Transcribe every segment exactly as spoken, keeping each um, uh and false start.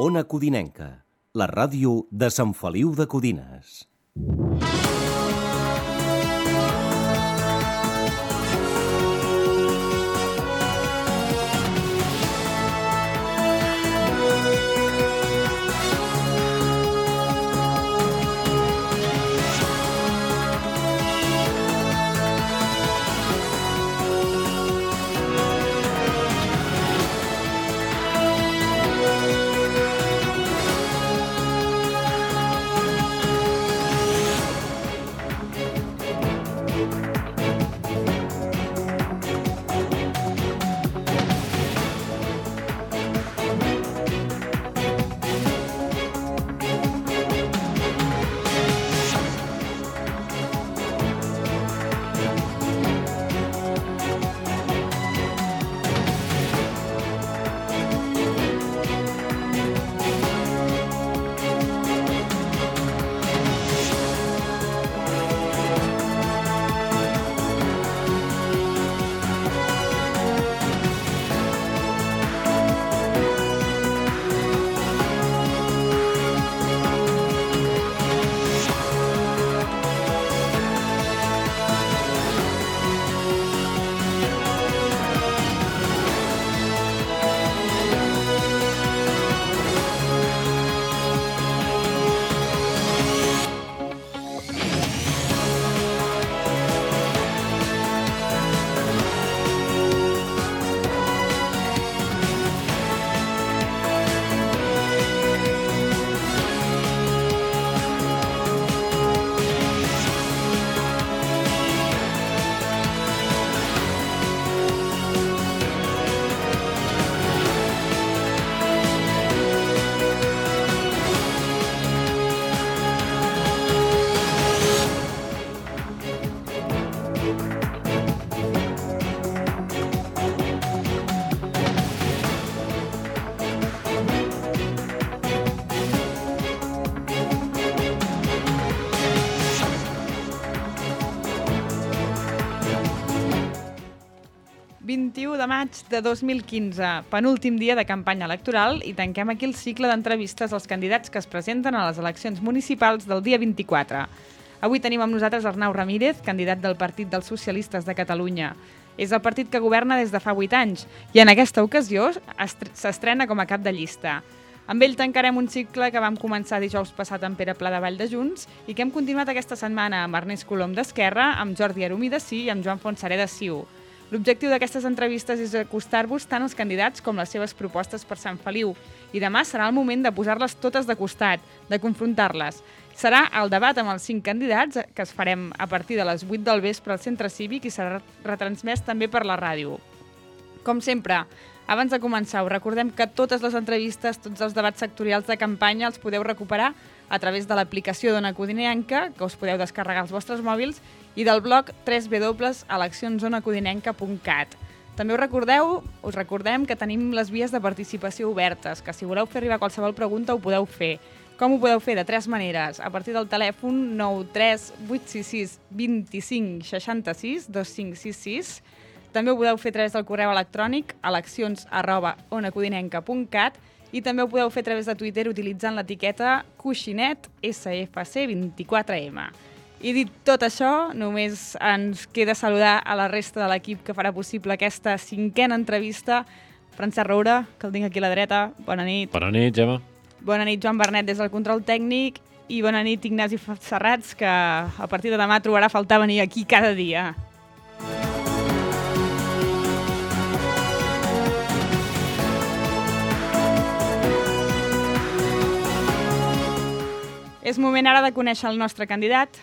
Ona Codinenca, la ràdio de Sant Feliu de Codines. vint-i-u de maig de dos mil quinze, penúltim dia de campanya electoral, i tanquem aquí el cicle d'entrevistes als candidats que es presenten a les eleccions municipals del dia vint-i-quatre. Avui tenim amb nosaltres Arnau Ramírez, candidat del Partit dels Socialistes de Catalunya. És el partit que governa des de fa vuit anys i en aquesta ocasió s'estrena com a cap de llista. Amb ell tancarem un cicle que vam començar dijous passat amb Pere Pla de Vall de Junts i que hem continuat aquesta setmana amb Ernest Colom d'Esquerra, amb Jordi Arumí de Sí i amb Joan Fontserè de C I U. L'objectiu d'aquestes entrevistes és acostar-vos tant als candidats com les seves propostes per Sant Feliu. I demà serà el moment de posar-les totes de costat, de confrontar-les. Serà el debat amb els cinc candidats que es farem a partir de les vuit del vespre al Centre Cívic i serà retransmès també per la ràdio. Com sempre, abans de començar, us recordem que totes les entrevistes, tots els debats sectorials de campanya els podeu recuperar a través de l'aplicació d'Ona Codinenca, que us podeu descarregar als vostres mòbils, i del blog w w w punt eleccions ona codinenca punt cat. També us recordeu, us recordem que tenim les vies de participació obertes, que si voleu fer arribar qualsevol pregunta ho podeu fer. Com ho podeu fer? De tres maneres. A partir del telèfon nou tres vuit sis sis dos cinc sis sis dos cinc sis sis. També ho podeu fer a través del correu electrònic eleccions arroba ona codinenca punt cat i també ho podeu fer a través de Twitter utilitzant l'etiqueta Coixinet S F C vint-i-quatre M. I dit tot això, només ens queda saludar a la resta de l'equip que farà possible aquesta cinquena entrevista. Francesc Roura, que el tinc aquí a la dreta. Bona nit. Bona nit, Gemma. Bona nit, Joan Bernet, des del control tècnic. I bona nit, Ignasi Serrats, que a partir de demà trobarà a faltar venir aquí cada dia. És moment ara de conèixer el nostre candidat.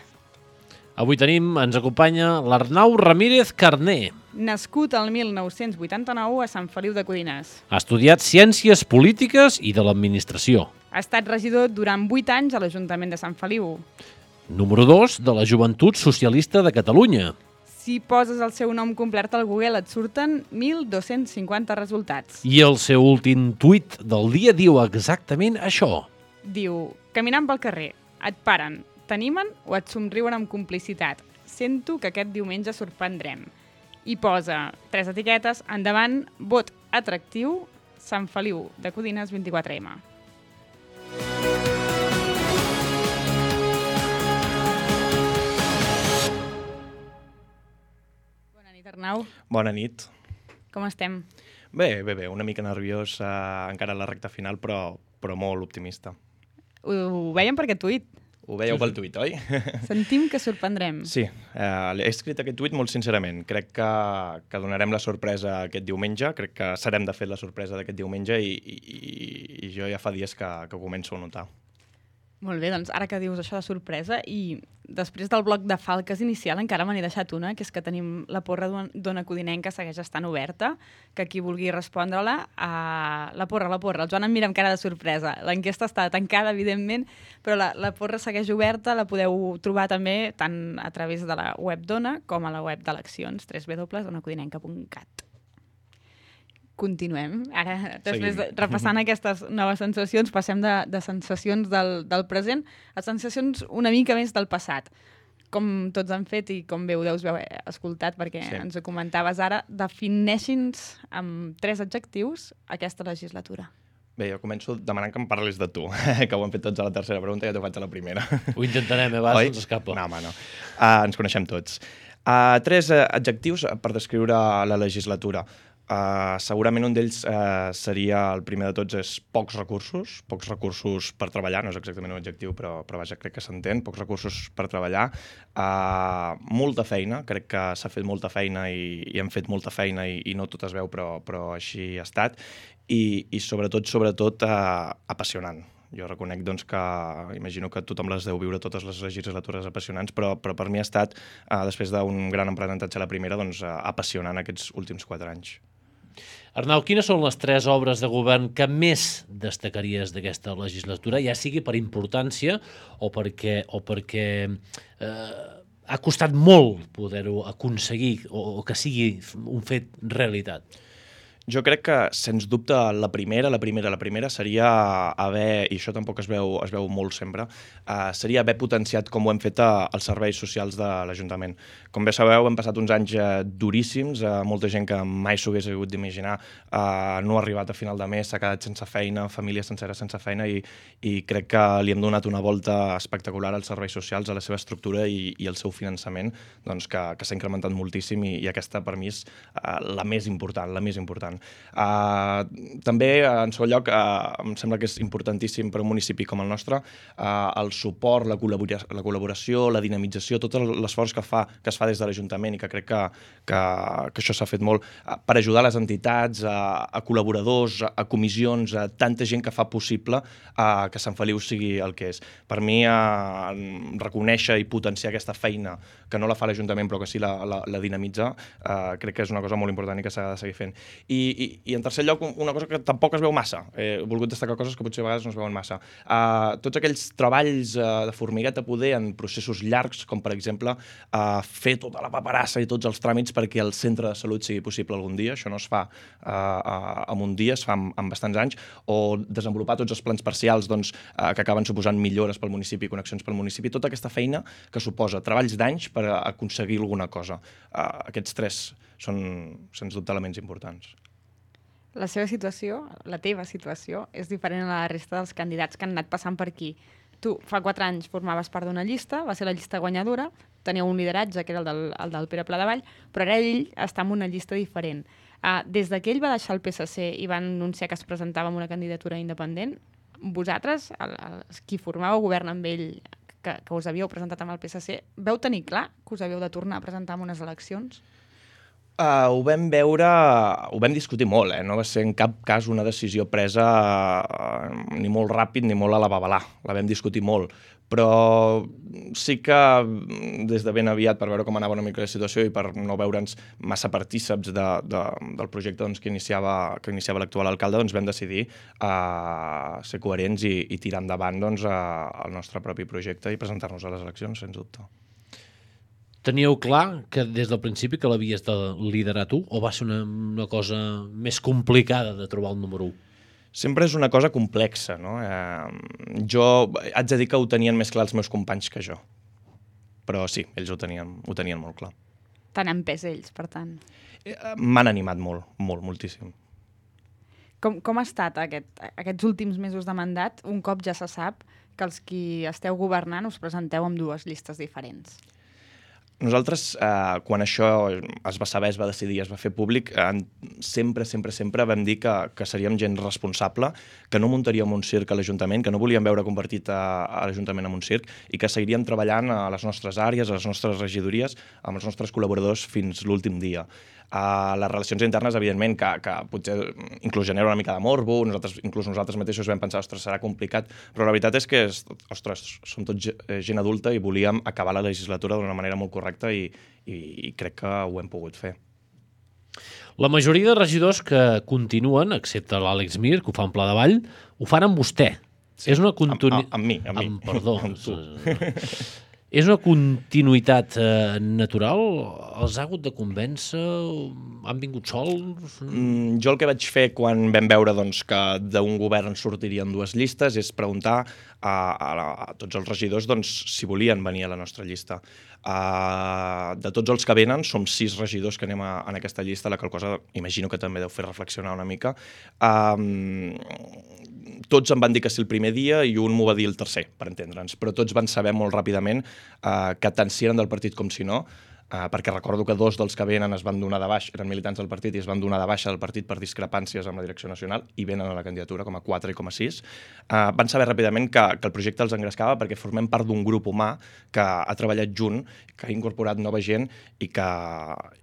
Avui tenim, ens acompanya l'Arnau Ramírez Carné. Nascut el mil nou-cents vuitanta-nou a Sant Feliu de Codines. Ha estudiat Ciències Polítiques i de l'Administració. Ha estat regidor durant vuit anys a l'Ajuntament de Sant Feliu. Número dos de la Joventut Socialista de Catalunya. Si poses el seu nom complet al Google et surten mil dos-cents cinquanta resultats. I el seu últim tuit del dia diu exactament això. Diu, caminant pel carrer, et paren, t'animen o et somriuen amb complicitat. Sento que aquest diumenge sorprendrem. I posa tres etiquetes, endavant, vot atractiu, Sant Feliu de Codines vint-i-quatre M. Arnau, Bona nit. com estem? Bé, bé, bé, una mica nerviós eh, encara a la recta final, però, però molt optimista. Ho, ho veiem per aquest tuit. Ho veieu pel tuit, oi? Sentim que sorprendrem. Sí, eh, he escrit aquest tuit molt sincerament. Crec que, que donarem la sorpresa aquest diumenge, crec que serem de fet la sorpresa d'aquest diumenge i, i, i jo ja fa dies que, que començo a notar. Molt bé, doncs ara que dius això de sorpresa i després del bloc de falques inicial encara me n'he deixat una, que és que tenim la porra d'Ona Codinenca segueix estant oberta, que qui vulgui respondre-la, uh, la porra, la porra, el Joan em mira amb cara de sorpresa. L'enquesta està tancada, evidentment, però la, la porra segueix oberta, la podeu trobar també tant a través de la web d'Ona com a la web d'eleccions, w w w punt ona codinenca punt cat. Continuem. Ara, després de, repassant aquestes noves sensacions, passem de, de sensacions del, del present a sensacions una mica més del passat. Com tots han fet i com bé ho deus haver escoltat, perquè sí. Ens ho comentaves ara, defineixin-nos amb tres adjectius aquesta legislatura. Bé, jo començo demanant que em parlis de tu, que ho han fet tots a la tercera pregunta i ja t'ho faig a la primera. Ho intentarem, eh? Va, se'ns escapa. No, home, no. Uh, ens coneixem tots. Uh, tres uh, adjectius per descriure la legislatura. Uh, segurament un d'ells uh, seria, el primer de tots, és pocs recursos, pocs recursos per treballar, no és exactament un adjectiu, però, però vaja, crec que s'entén, pocs recursos per treballar, uh, molta feina, crec que s'ha fet molta feina i, i hem fet molta feina i, i no tot es veu, però, però així ha estat, i, i sobretot, sobretot, uh, apassionant. Jo reconec doncs, que imagino que tothom les deu viure totes les legislatures apassionants, però, però per mi ha estat, uh, després d'un gran aprenentatge a la primera, doncs, uh, apassionant aquests últims quatre anys. Arnau, quines són les tres obres de govern que més destacaries d'aquesta legislatura, ja sigui per importància o perquè, o perquè eh, ha costat molt poder-ho aconseguir o, o que sigui un fet realitat? Jo crec que, sens dubte, la primera, la primera, la primera seria haver, i això tampoc es veu, es veu molt sempre, uh, seria haver potenciat com ho hem fet uh, els serveis socials de l'Ajuntament. Com bé sabeu, hem passat uns anys uh, duríssims, uh, molta gent que mai s'ho hagués hagut d'imaginar uh, no ha arribat a final de mes, s'ha quedat sense feina, famílies senceres sense feina, i, i crec que li hem donat una volta espectacular als serveis socials, a la seva estructura i, i al seu finançament, doncs, que, que s'ha incrementat moltíssim i, i aquesta, per mi, és uh, la més important, la més important. Uh, també, uh, en segon lloc, uh, em sembla que és importantíssim per un municipi com el nostre uh, el suport, la, col·labora la col·laboració, la dinamització, tot l'esforç que, fa, que es fa des de l'Ajuntament i que crec que, que, que això s'ha fet molt uh, per ajudar les entitats, uh, a col·laboradors, a, a comissions, a tanta gent que fa possible uh, que Sant Feliu sigui el que és. Per mi, uh, reconèixer i potenciar aquesta feina que no la fa l'Ajuntament però que sí la, la, la dinamitza, uh, crec que és una cosa molt important i que s'ha de seguir fent. I I, i en tercer lloc, una cosa que tampoc es veu massa. He volgut destacar coses que potser a vegades no es veuen massa. Uh, tots aquells treballs uh, de formigueta poder en processos llargs, com per exemple uh, fer tota la paperassa i tots els tràmits perquè el centre de salut sigui possible algun dia. Això no es fa uh, uh, en un dia, es fa en, en bastants anys. O desenvolupar tots els plans parcials doncs, uh, que acaben suposant millores pel municipi, connexions pel municipi. Tota aquesta feina que suposa treballs d'anys per aconseguir alguna cosa. Uh, aquests tres són, sens dubte, elements importants. La seva situació, la teva situació, és diferent a la resta dels candidats que han anat passant per aquí. Tu, fa quatre anys, formaves part d'una llista, va ser la llista guanyadora, tenia un lideratge, que era el del, el del Pere Pladevall, però ara ell està en una llista diferent. Uh, des que ell va deixar el P S C i va anunciar que es presentava amb una candidatura independent, vosaltres, el, el, qui formàveu govern amb ell, que, que us havíeu presentat amb el P S C, veu tenir clar que us havíeu de tornar a presentar en unes eleccions? Uh, ho vam veure, ho vam discutir molt, eh? No va ser en cap cas una decisió presa uh, ni molt ràpid ni molt a la babalà, la vam discutir molt, però sí que des de ben aviat, per veure com anava una mica la situació i per no veure'ns massa partíceps de, de, del projecte doncs, que iniciava, que iniciava l'actual alcalde, doncs vam decidir uh, ser coherents i, i tirar endavant doncs, uh, el nostre propi projecte i presentar-nos a les eleccions, sens dubte. Teníeu clar que des del principi que l'havies de liderar tu o va ser una, una cosa més complicada de trobar el número u? Sempre és una cosa complexa, no? Eh, jo haig de dir que ho tenien més clar els meus companys que jo. Però sí, ells ho tenien, ho tenien molt clar. T'han empès ells, per tant. Eh, M'han animat molt, molt, moltíssim. Com, com ha estat aquest, aquests últims mesos de mandat, un cop ja se sap que els qui esteu governant us presenteu amb dues llistes diferents? Nosaltres, eh, quan això es va saber, es va decidir, es va fer públic, eh, sempre, sempre, sempre vam dir que, que seríem gent responsable, que no muntaríem un circ a l'Ajuntament, que no volíem veure convertit a, a l'Ajuntament en un circ i que seguiríem treballant a les nostres àrees, a les nostres regidories, amb els nostres col·laboradors fins l'últim dia. Uh, les relacions internes, evidentment, que, que potser inclús genera una mica de morbo, nosaltres, inclús nosaltres mateixos vam pensar, ostres, serà complicat, però la veritat és que, ostres, som tots gent adulta i volíem acabar la legislatura d'una manera molt correcta i, i, i crec que ho hem pogut fer. La majoria de regidors que continuen, excepte l'Àlex Mir, que ho fa en Pla de Vall, ho fan amb vostè. Sí, és una continu... amb, amb, amb mi, amb, amb mi. Perdó. amb tu. És una continuïtat eh, natural? Els ha hagut de convèncer? Han vingut sols? Mm, jo el que vaig fer quan vam veure doncs, que d'un govern sortirien dues llistes és preguntar a, a, a tots els regidors doncs, si volien venir a la nostra llista. Uh, de tots els que venen, som sis regidors que anem a, en aquesta llista, la qual cosa imagino que també deu fer reflexionar una mica. Um, tots em van dir que sí el primer dia i un m'ho va dir el tercer, per entendre'ns, però tots van saber molt ràpidament uh, que tant si eren del partit com si no, uh, perquè recordo que dos dels que venen es van donar de baix, eren militants del partit i es van donar de baixa del partit per discrepàncies amb la direcció nacional i venen a la candidatura com a quatre i com a sis. Uh, van saber ràpidament que, que el projecte els engrescava perquè formem part d'un grup humà que ha treballat junt, que ha incorporat nova gent i que,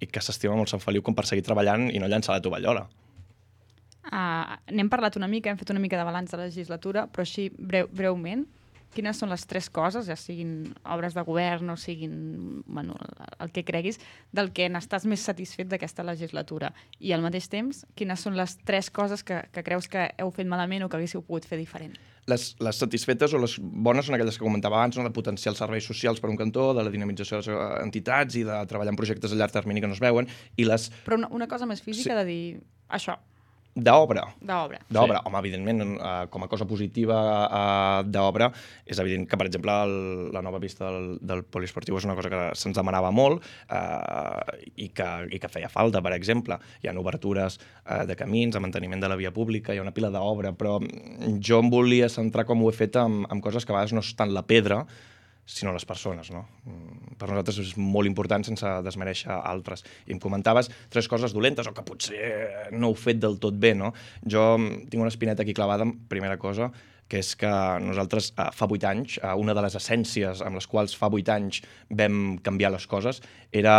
i que s'estima molt Sant Feliu com per seguir treballant i no llançar la tovallola. Uh, n'hem parlat una mica, hem fet una mica de balanç de la legislatura, però així breu, breument, quines són les tres coses, ja siguin obres de govern o siguin bueno, el que creguis, del que n'estàs més satisfet d'aquesta legislatura? I al mateix temps, quines són les tres coses que, que creus que heu fet malament o que haguéssiu pogut fer diferent? Les, les satisfetes o les bones són aquelles que comentava abans, no? De potenciar els serveis socials per un cantó, de la dinamització de les entitats i de treballar en projectes a llarg termini que no es veuen. I les... Però una, una cosa més física Sí. de dir això, D'obra. d'obra. D'obra. Sí. Home, evidentment, eh, com a cosa positiva eh, d'obra, és evident que, per exemple, el, la nova pista del, del poliesportiu és una cosa que se'ns demanava molt eh, i, que, i que feia falta, per exemple. Hi ha obertures eh, de camins, de manteniment de la via pública, hi ha una pila d'obra, però jo em volia centrar, com ho he fet, en, en coses que a vegades no és tant la pedra, sinó les persones, no? Per nosaltres és molt important sense desmereixer altres. I em comentaves tres coses dolentes o que potser no heu fet del tot bé, no? Jo tinc una espineta aquí clavada, primera cosa, que és que nosaltres eh, fa vuit anys, eh, una de les essències amb les quals fa vuit anys vam canviar les coses era...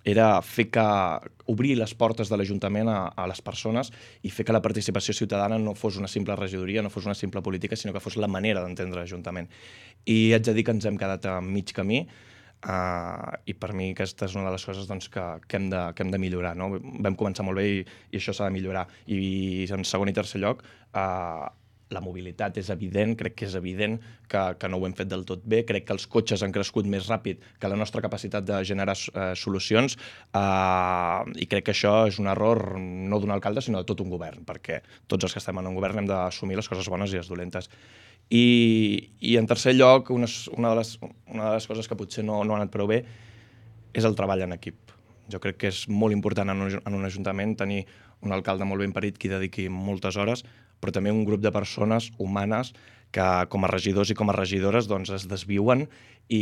era fer que obrir les portes de l'Ajuntament a, a les persones i fer que la participació ciutadana no fos una simple regidoria, no fos una simple política, sinó que fos la manera d'entendre l'Ajuntament. I haig de dir que ens hem quedat a mig camí uh, i per mi aquesta és una de les coses doncs, que, que, hem de, que hem de millorar. No? Vam començar molt bé i, i això s'ha de millorar. I en segon i tercer lloc, uh, la mobilitat és evident, crec que és evident que, que no ho hem fet del tot bé, crec que els cotxes han crescut més ràpid que la nostra capacitat de generar eh, solucions eh, i crec que això és un error no d'un alcalde sinó de tot un govern, perquè tots els que estem en un govern hem d'assumir les coses bones i les dolentes. I, i en tercer lloc, una, una, de les, una de les coses que potser no, no ha anat prou bé és el treball en equip. Jo crec que és molt important en un, en un ajuntament tenir un alcalde molt ben parit que hi dediqui moltes hores, però també un grup de persones humanes que com a regidors i com a regidores doncs, es desviuen i,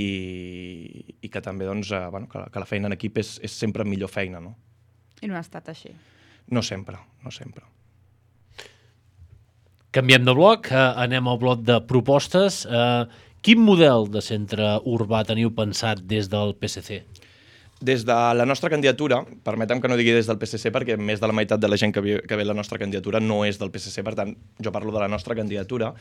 i que també doncs, eh, bueno, que, que la feina en equip és, és sempre millor feina. No? I no ha estat així. No sempre, no sempre. Canviem de bloc, eh, anem al bloc de propostes. Eh, quin model de centre urbà teniu pensat des del P S C? Des de la nostra candidatura, permetem que no digui des del P S C perquè més de la meitat de la gent que ve, que ve a la nostra candidatura no és del P S C, per tant, jo parlo de la nostra candidatura.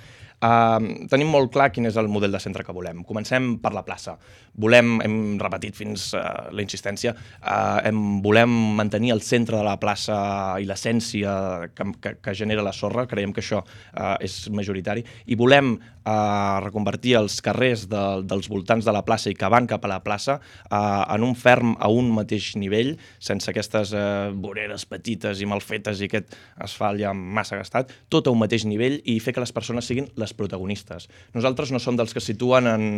Uh, tenim molt clar quin és el model de centre que volem. Comencem per la plaça. Volem, hem repetit fins uh, la insistència, uh, hem, volem mantenir el centre de la plaça i l'essència que, que, que genera la sorra, creiem que això uh, és majoritari, i volem uh, reconvertir els carrers de, dels voltants de la plaça i que van cap a la plaça uh, en un ferm a un mateix nivell, sense aquestes eh, voreres petites i mal fetes i aquest asfalt ja massa gastat, tot a un mateix nivell i fer que les persones siguin les protagonistes. Nosaltres no som dels que situen en,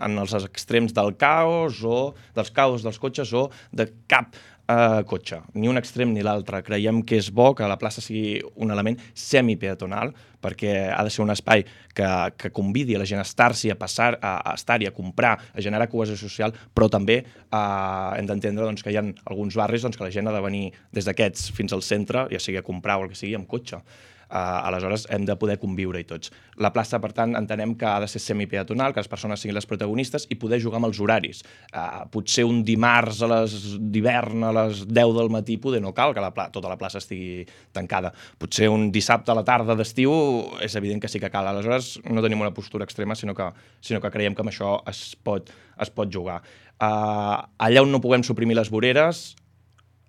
en els extrems del caos o dels caos dels cotxes o de cap Uh, cotxe, ni un extrem ni l'altre. Creiem que és bo que la plaça sigui un element semipeatonal, perquè ha de ser un espai que, que convidi a la gent a estar-s'hi, a passar, a, a estar-hi, a comprar, a generar cohesió social, però també uh, hem d'entendre doncs, que hi ha alguns barris doncs, que la gent ha de venir des d'aquests fins al centre, ja sigui a comprar o el que sigui, amb cotxe. Uh, aleshores hem de poder conviure-hi tots. La plaça, per tant, entenem que ha de ser semipeatonal, que les persones siguin les protagonistes i poder jugar amb els horaris. Uh, potser un dimarts a les d'hivern a les deu del matí poder no cal que la pla tota la plaça estigui tancada. Potser un dissabte a la tarda d'estiu és evident que sí que cal. Aleshores no tenim una postura extrema, sinó que, sinó que creiem que amb això es pot, es pot jugar. Uh, allà on no puguem suprimir les voreres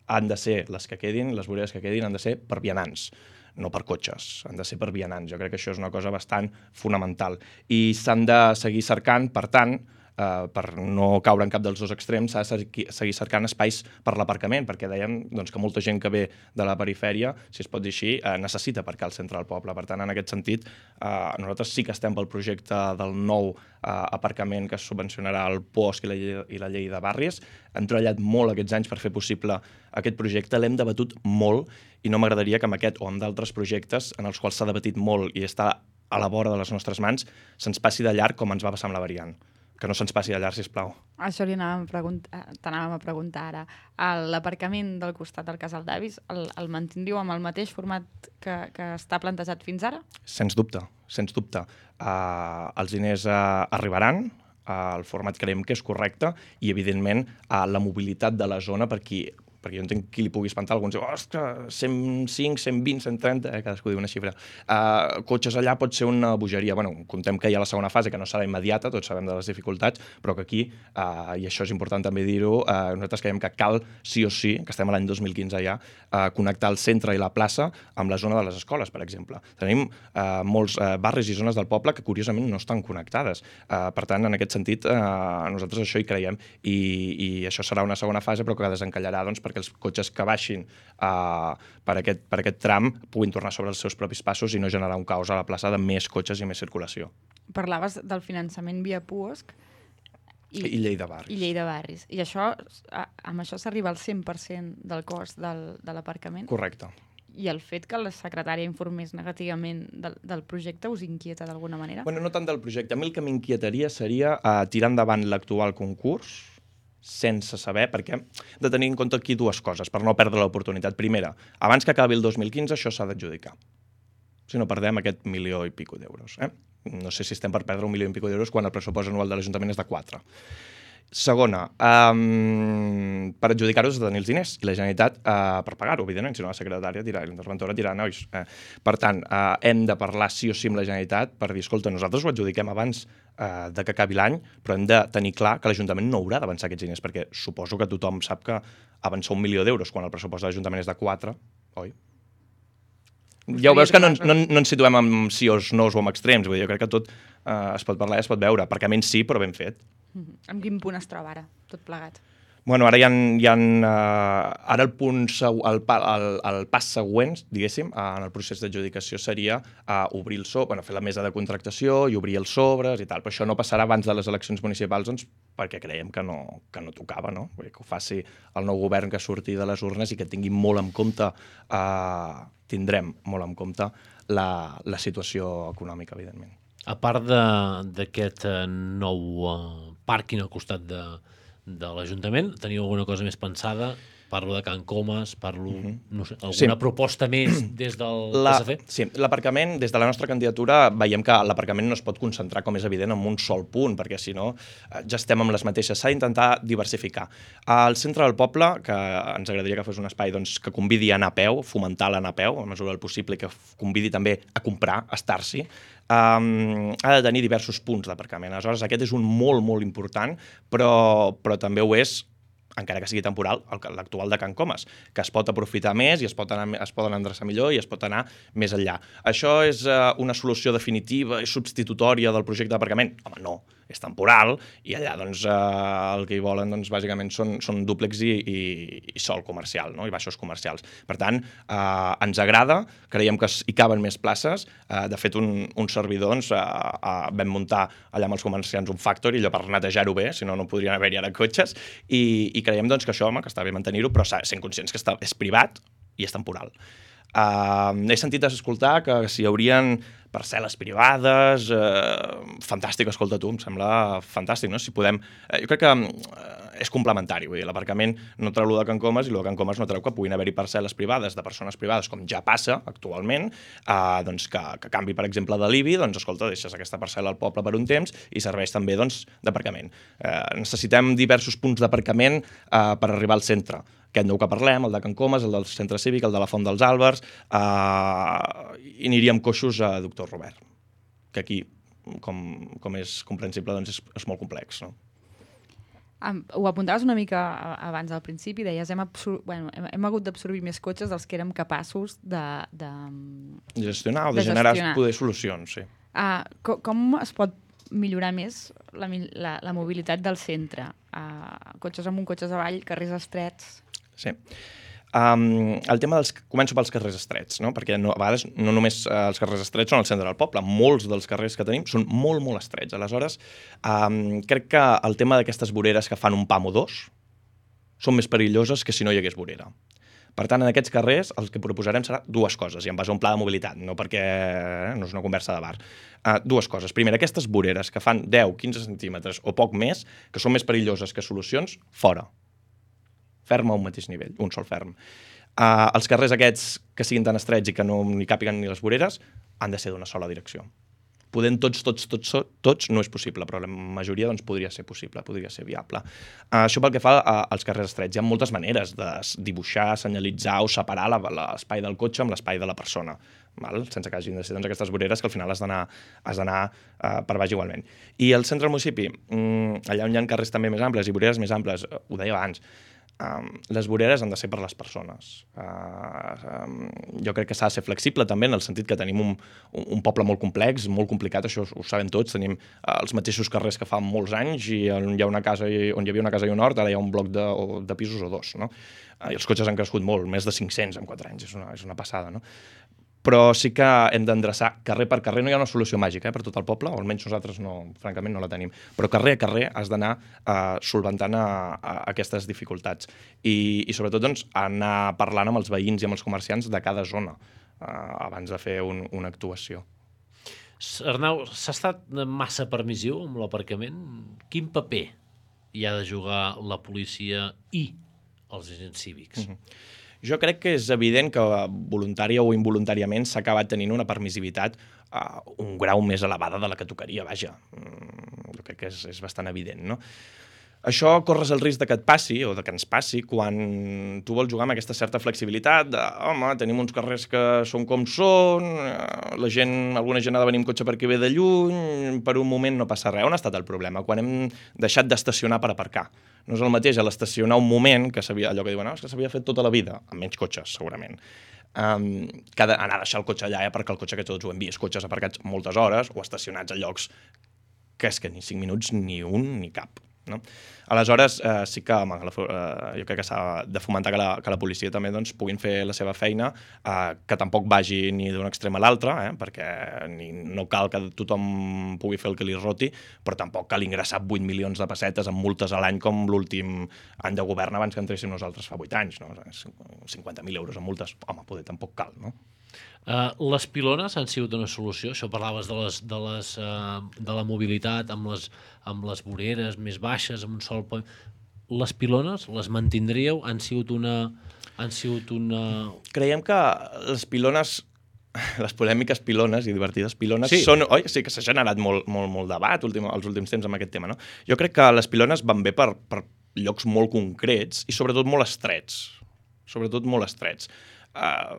han de ser les que quedin, les voreres que quedin han de ser per vianants, no per cotxes, han de ser per vianants. Jo crec que això és una cosa bastant fonamental. I s'han de seguir cercant, per tant, eh, per no caure en cap dels dos extrems, s'ha de seguir cercant espais per l'aparcament, perquè dèiem doncs, que molta gent que ve de la perifèria, si es pot dir així, eh, necessita aparcar al centre del poble. Per tant, en aquest sentit, eh, nosaltres sí que estem pel projecte del nou eh, aparcament que es subvencionarà el P O S C i la, llei, i la llei de barris. Hem treballat molt aquests anys per fer possible aquest projecte, l'hem debatut molt i no m'agradaria que amb aquest o amb d'altres projectes en els quals s'ha debatit molt i està a la vora de les nostres mans, se'ns passi de llarg com ens va passar amb la variant. Que no se'ns passi de llarg, sisplau. Això li anàvem a preguntar, t'anàvem a preguntar ara. L'aparcament del costat del Casal d'Avis el, el mantindríeu amb el mateix format que, que està plantejat fins ara? Sens dubte, sens dubte. Uh, els diners uh, arribaran, uh, el format creiem que és correcte i, evidentment, uh, la mobilitat de la zona per qui perquè jo entenc qui li pugui espantar, alguns diuen, ostres, cent cinc, cent vint, cent trenta, eh, cadascú diu una xifra. Uh, cotxes allà pot ser una bogeria. Bueno, contem que hi ha la segona fase, que no serà immediata, tots sabem de les dificultats, però que aquí, uh, i això és important també dir-ho, uh, nosaltres creiem que cal, sí o sí, que estem a l'any dos mil quinze ja, uh, connectar el centre i la plaça amb la zona de les escoles, per exemple. Tenim uh, molts uh, barris i zones del poble que, curiosament, no estan connectades. Uh, per tant, en aquest sentit, uh, nosaltres això hi creiem, i, i això serà una segona fase, però que desencallarà, doncs, perquè els cotxes que baixin uh, per, aquest, per aquest tram puguin tornar sobre els seus propis passos i no generar un caos a la plaça de més cotxes i més circulació. Parlaves del finançament via P O S C i, i llei de barris. I llei de barris. I això, amb això s'arriba al cent per cent del cost del, de l'aparcament? Correcte. I el fet que la secretària informés negativament del, del projecte us inquieta d'alguna manera? Bueno, no tant del projecte. A mi el que m'inquietaria seria uh, tirar endavant l'actual concurs sense saber, perquè hem de tenir en compte aquí dues coses, per no perdre l'oportunitat. Primera, abans que acabi el dos mil quinze, això s'ha d'adjudicar. Si no perdem aquest milió i pico d'euros. Eh? No sé si estem per perdre un milió i pico d'euros quan el pressupost anual de l'Ajuntament és de quatre. Segona, um, per adjudicar-ho has de tenir els diners i la Generalitat uh, per pagar-ho, evidentment, si no la secretària dirà, l'interventora dirà, nois. Eh. Per tant, uh, hem de parlar sí o sí amb la Generalitat per dir, escolta, nosaltres ho adjudiquem abans uh, de que acabi l'any, però hem de tenir clar que l'Ajuntament no haurà d'avançar aquests diners, perquè suposo que tothom sap que avançar un milió d'euros quan el pressupost de l'Ajuntament és de quatre, oi? Ja ho veus que no, no, no ens situem amb sí o no o amb extrems, vull dir, jo crec que tot uh, es pot parlar i es pot veure, perquè a menys sí, però ben fet. Mm-hmm. En quin punt es troba ara, tot plegat? Bueno, ara hi ha, hi ha uh, ara el punt, el, el, el pas següent, diguéssim, uh, en el procés d'adjudicació seria uh, obrir el sobre, bueno, fer la mesa de contractació i obrir els sobres i tal, però això no passarà abans de les eleccions municipals, doncs, perquè creiem que no, que no tocava, no? Vull dir, que ho faci el nou govern que surti de les urnes i que tingui molt en compte, uh, tindrem molt en compte la, la situació econòmica, evidentment. A part d'aquest nou uh, pàrquing al costat de, de l'Ajuntament, teniu alguna cosa més pensada? Parlo de Can Comas, parlo, mm-hmm. no sé, alguna sí. proposta més des del la, P S C? Sí, l'aparcament, des de la nostra candidatura, veiem que l'aparcament no es pot concentrar, com és evident, en un sol punt, perquè si no ja estem amb les mateixes. S'ha d'intentar diversificar. Al centre del poble, que ens agradaria que fos un espai doncs, que convidi a anar a peu, fomentar l'anar a peu, a mesura del possible, i que convidi també a comprar, a estar-s'hi, um, ha de tenir diversos punts d'aparcament. Aleshores, aquest és un molt, molt important, però, però també ho és, encara que sigui temporal, l'actual de Can Comas, que es pot aprofitar més i es, pot anar, es poden endreçar millor i es pot anar més enllà. Això és uh, una solució definitiva i substitutòria del projecte d'aparcament? Home, no. És temporal i allà doncs, eh, el que hi volen doncs, bàsicament són, són dúplex i, i, i sol comercial, no? I baixos comercials. Per tant, eh, ens agrada, creiem que hi caben més places. Eh, de fet, un, un servidor doncs, eh, eh, vam muntar allà amb els comerciants un factory, allò per netejar-ho bé, si no, no podrien haver-hi ara cotxes, i, i creiem doncs, que això, home, que està bé mantenir-ho, però sent conscients que està, és privat i és temporal. Uh, he sentit escoltar que si hi haurien parcel·les privades, uh, fantàstic, escolta tu, em sembla fantàstic, no? Si podem... Uh, jo crec que uh, és complementari, vull dir, l'aparcament no treu lo de Can Comas i lo de Can Comas no treu que puguin haver-hi parcel·les privades de persones privades, com ja passa actualment, uh, doncs que, que canvi, per exemple, de l'I B I, doncs escolta, deixes aquesta parcel·la al poble per un temps i serveix també doncs, d'aparcament. Uh, necessitem diversos punts d'aparcament uh, per arribar al centre. Aquest nou que parlem, el de Can Comas, el del centre cívic, el de la Font dels Àlbers, eh, i aniríem coixos a Doctor Robert, que aquí, com, com és comprensible, doncs és, és molt complex, no? Um, ho apuntaves una mica abans al principi, deies hem, bueno, hem, hem hagut d'absorbir més cotxes dels que érem capaços de... De, de gestionar o de, de generar gestionar. Poder solucions, sí. Uh, com, com es pot millorar més la, la, la mobilitat del centre? Uh, cotxes amunt, cotxes avall, carrers estrets... Sí. Um, el tema dels... Començo pels carrers estrets, no? Perquè no, a vegades no només uh, els carrers estrets són al centre del poble, molts dels carrers que tenim són molt, molt estrets. Aleshores, um, crec que el tema d'aquestes voreres que fan un pam o dos són més perilloses que si no hi hagués vorera. Per tant, en aquests carrers el que proposarem serà dues coses, i en base a un pla de mobilitat, no perquè eh, no és una conversa de bar. Uh, dues coses. Primera, aquestes voreres que fan deu, quinze centímetres o poc més, que són més perilloses que solucions, fora. Ferm a un mateix nivell, un sol ferm. Uh, els carrers aquests que siguin tan estrets i que no hi càpiguen ni les voreres han de ser d'una sola direcció. Podent tots, tots, tots, tots no és possible, però la majoria doncs, podria ser possible, podria ser viable. Uh, això pel que fa uh, als carrers estrets. Hi ha moltes maneres de dibuixar, senyalitzar o separar l'espai del cotxe amb l'espai de la persona, val? Sense que hagin de ser doncs, aquestes voreres que al final has d'anar uh, per baix igualment. I al centre del municipi, um, allà on hi ha carrers també més amples i voreres més amples, uh, ho deia abans, Um, les voreres han de ser per les persones. Uh, um, jo crec que s'ha de ser flexible també en el sentit que tenim un, un poble molt complex, molt complicat, això ho sabem tots, tenim uh, els mateixos carrers que fa molts anys i on hi ha una casa i, on hi havia una casa i un hort, ara hi ha un bloc de, de pisos o dos, no? Uh, I els cotxes han crescut molt, més de cinc-cents en quatre anys, és una, és una passada, no? Però sí que hem d'endreçar carrer per carrer. No hi ha una solució màgica eh, per tot el poble, o almenys nosaltres, no, francament, no la tenim. Però carrer a carrer has d'anar uh, solventant a, a aquestes dificultats. I, i sobretot, doncs, anar parlant amb els veïns i amb els comerciants de cada zona uh, abans de fer un, una actuació. Arnau, s'ha estat massa permissiu amb l'aparcament? Quin paper hi ha de jugar la policia i els agents cívics? Mm-hmm. Jo crec que és evident que voluntària o involuntàriament s'ha acabat tenint una permissivitat uh, un grau més elevada de la que tocaria, vaja. Mm, jo crec que és, és bastant evident, no? Això corres el risc de que et passi, o de que ens passi, quan tu vols jugar amb aquesta certa flexibilitat de, home, tenim uns carrers que són com són, la gent, alguna gent ha de venir amb cotxe perquè ve de lluny, per un moment no passa res. On ha estat el problema? Quan hem deixat d'estacionar per aparcar. No és el mateix a l'estacionar un moment, que s'havia, allò que diuen, no, és que s'havia fet tota la vida, amb menys cotxes, segurament. Um, que anar a deixar el cotxe allà, eh, perquè el cotxe que tots ho hem vist, cotxes aparcats moltes hores o estacionats a llocs que és que ni cinc minuts ni un ni cap. No? Aleshores, eh, sí que home, la, eh, jo crec que s'ha de fomentar que la, que la policia també doncs, puguin fer la seva feina, eh, que tampoc vagi ni d'un extrem a l'altre, eh, perquè ni, no cal que tothom pugui fer el que li roti, però tampoc cal ingressar vuit milions de pessetes amb multes a l'any com l'últim any de govern abans que entréssim nosaltres fa vuit anys. No? cinquanta mil euros en multes, home, poder tampoc cal, no? Uh, les pilones han sigut una solució? Això parlaves de, les, de, les, uh, de la mobilitat amb les, amb les voreres més baixes, amb un sol point. Les pilones, les mantindríeu? Han sigut una... Han sigut una... Creiem que les pilones, les polèmiques pilones i divertides pilones, sí. són... Oi, sí que s'ha generat molt, molt, molt debat últim, els últims temps amb aquest tema, no? Jo crec que les pilones van bé per, per llocs molt concrets i sobretot molt estrets. Sobretot molt estrets. Uh,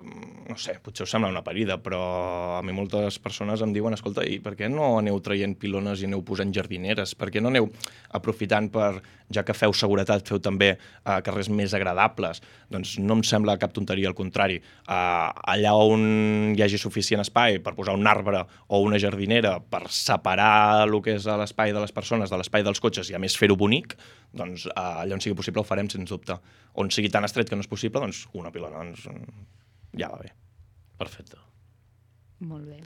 no sé, potser us sembla una parida, però a mi moltes persones em diuen, escolta, i per què no aneu traient pilones i aneu posant jardineres? Per què no aneu aprofitant per, ja que feu seguretat, feu també uh, carrers més agradables? Doncs no em sembla cap tonteria, al contrari. Uh, allà on hi hagi suficient espai per posar un arbre o una jardinera per separar el que és l'espai de les persones de l'espai dels cotxes i a més fer-ho bonic, doncs uh, allà on sigui possible ho farem, sens dubte. On sigui tan estret que no és possible, doncs una pilona, doncs ja va bé. Perfecte. Molt bé.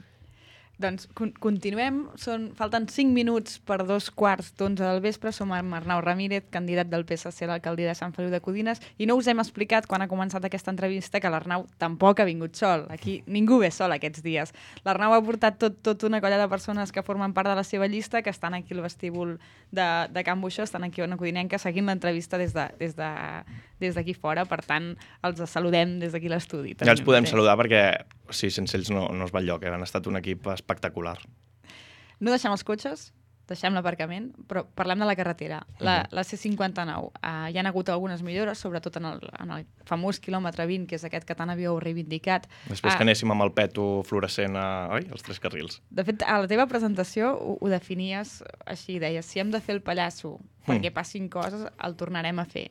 Doncs con continuem. Són, falten cinc minuts per dos quarts d'onze del vespre. Som amb Arnau Ramírez, candidat del P S C a l'alcaldia de Sant Feliu de Codines, i no us hem explicat, quan ha començat aquesta entrevista, que l'Arnau tampoc ha vingut sol. Aquí ningú ve sol aquests dies. L'Arnau ha portat tot, tot una colla de persones que formen part de la seva llista, que estan aquí al vestíbul de, de Can Buixó, estan aquí a una codinenca seguint l'entrevista des de, des de, des d'aquí fora. Per tant, els saludem des d'aquí a l'estudi. Ja els podem saludar perquè sí, sense ells no, no es va enlloc, eh? Han estat un equip espectacular. No deixem els cotxes, deixem l'aparcament, però parlem de la carretera. La, Uh-huh. la C cinquanta-nou, uh, hi ha hagut algunes millores, sobretot en el, en el famós quilòmetre vint, que és aquest que tant havíeu reivindicat. Després Ah, que anéssim amb el peto fluorescent a, oi? als tres carrils. De fet, a la teva presentació ho, ho definies així, deies, si hem de fer el pallasso perquè passin coses, el tornarem a fer.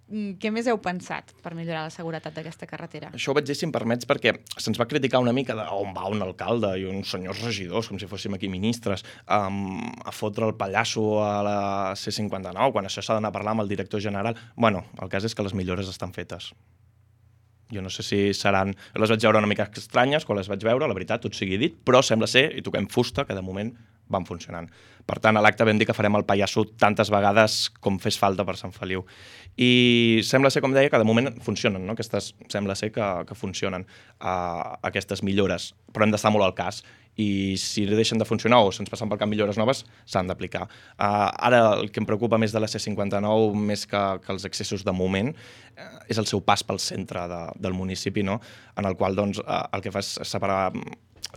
Mm, Què més heu pensat per millorar la seguretat d'aquesta carretera? Això ho vaig dir, si em permets, perquè se'ns va criticar una mica d'on va un alcalde i uns senyors regidors, com si fóssim aquí ministres, um, a fotre el pallasso a la C cinquanta-nou, quan això s'ha d'anar a parlar amb el director general. Bueno, el cas és que les millores estan fetes. Jo no sé si seran... Les vaig veure una mica estranyes quan les vaig veure, la veritat, tot sigui dit, però sembla ser, i toquem fusta, que de moment van funcionant. Per tant, a l'acte vam dir que farem el pallasso tantes vegades com fes falta per Sant Feliu. I sembla ser, com deia, que de moment funcionen, no? Aquestes, sembla ser que, que funcionen uh, aquestes millores, però hem d'estar molt al cas. I si deixen de funcionar o se'ns passen pel camp millores noves, s'han d'aplicar. Uh, ara, el que em preocupa més de la C cinquanta-nou, més que, que els accessos de moment, uh, és el seu pas pel centre de, del municipi, no? En el qual doncs, uh, el que fa és separar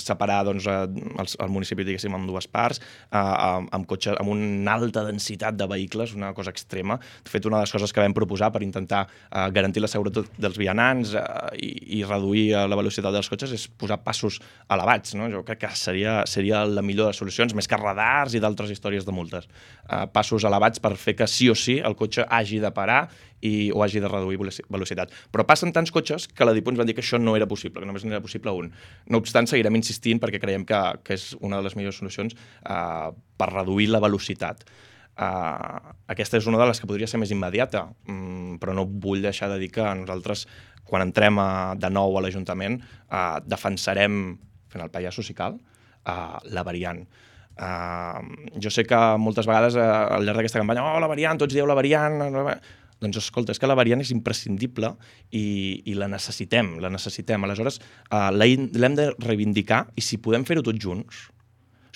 separar doncs, el, el municipi, diguéssim, en dues parts, eh, amb, cotxe, amb una alta densitat de vehicles, una cosa extrema. De fet, una de les coses que vam proposar per intentar eh, garantir la seguretat dels vianants eh, i, i reduir la velocitat dels cotxes és posar passos elevats. No? Jo crec que seria, seria la millor de les solucions, més que radars i d'altres històries de multes. Eh, passos elevats per fer que sí o sí el cotxe hagi de parar i, o hagi de reduir velocitat. Però passen tants cotxes que la DIPU ens van dir que això no era possible, que només n'era possible un. No obstant, seguirem insistint perquè creiem que, que és una de les millors solucions uh, per reduir la velocitat. Uh, aquesta és una de les que podria ser més immediata, um, però no vull deixar de dir que nosaltres, quan entrem a, de nou a l'Ajuntament, uh, defensarem, fent el pallasso si cal, uh, la variant. Uh, jo sé que moltes vegades uh, al llarg d'aquesta campanya, oh, la variant, tots dieu la variant... La variant. Doncs escolta, és que la variant és imprescindible i, i la necessitem, la necessitem. Aleshores, uh, l'hem de reivindicar i si podem fer-ho tots junts,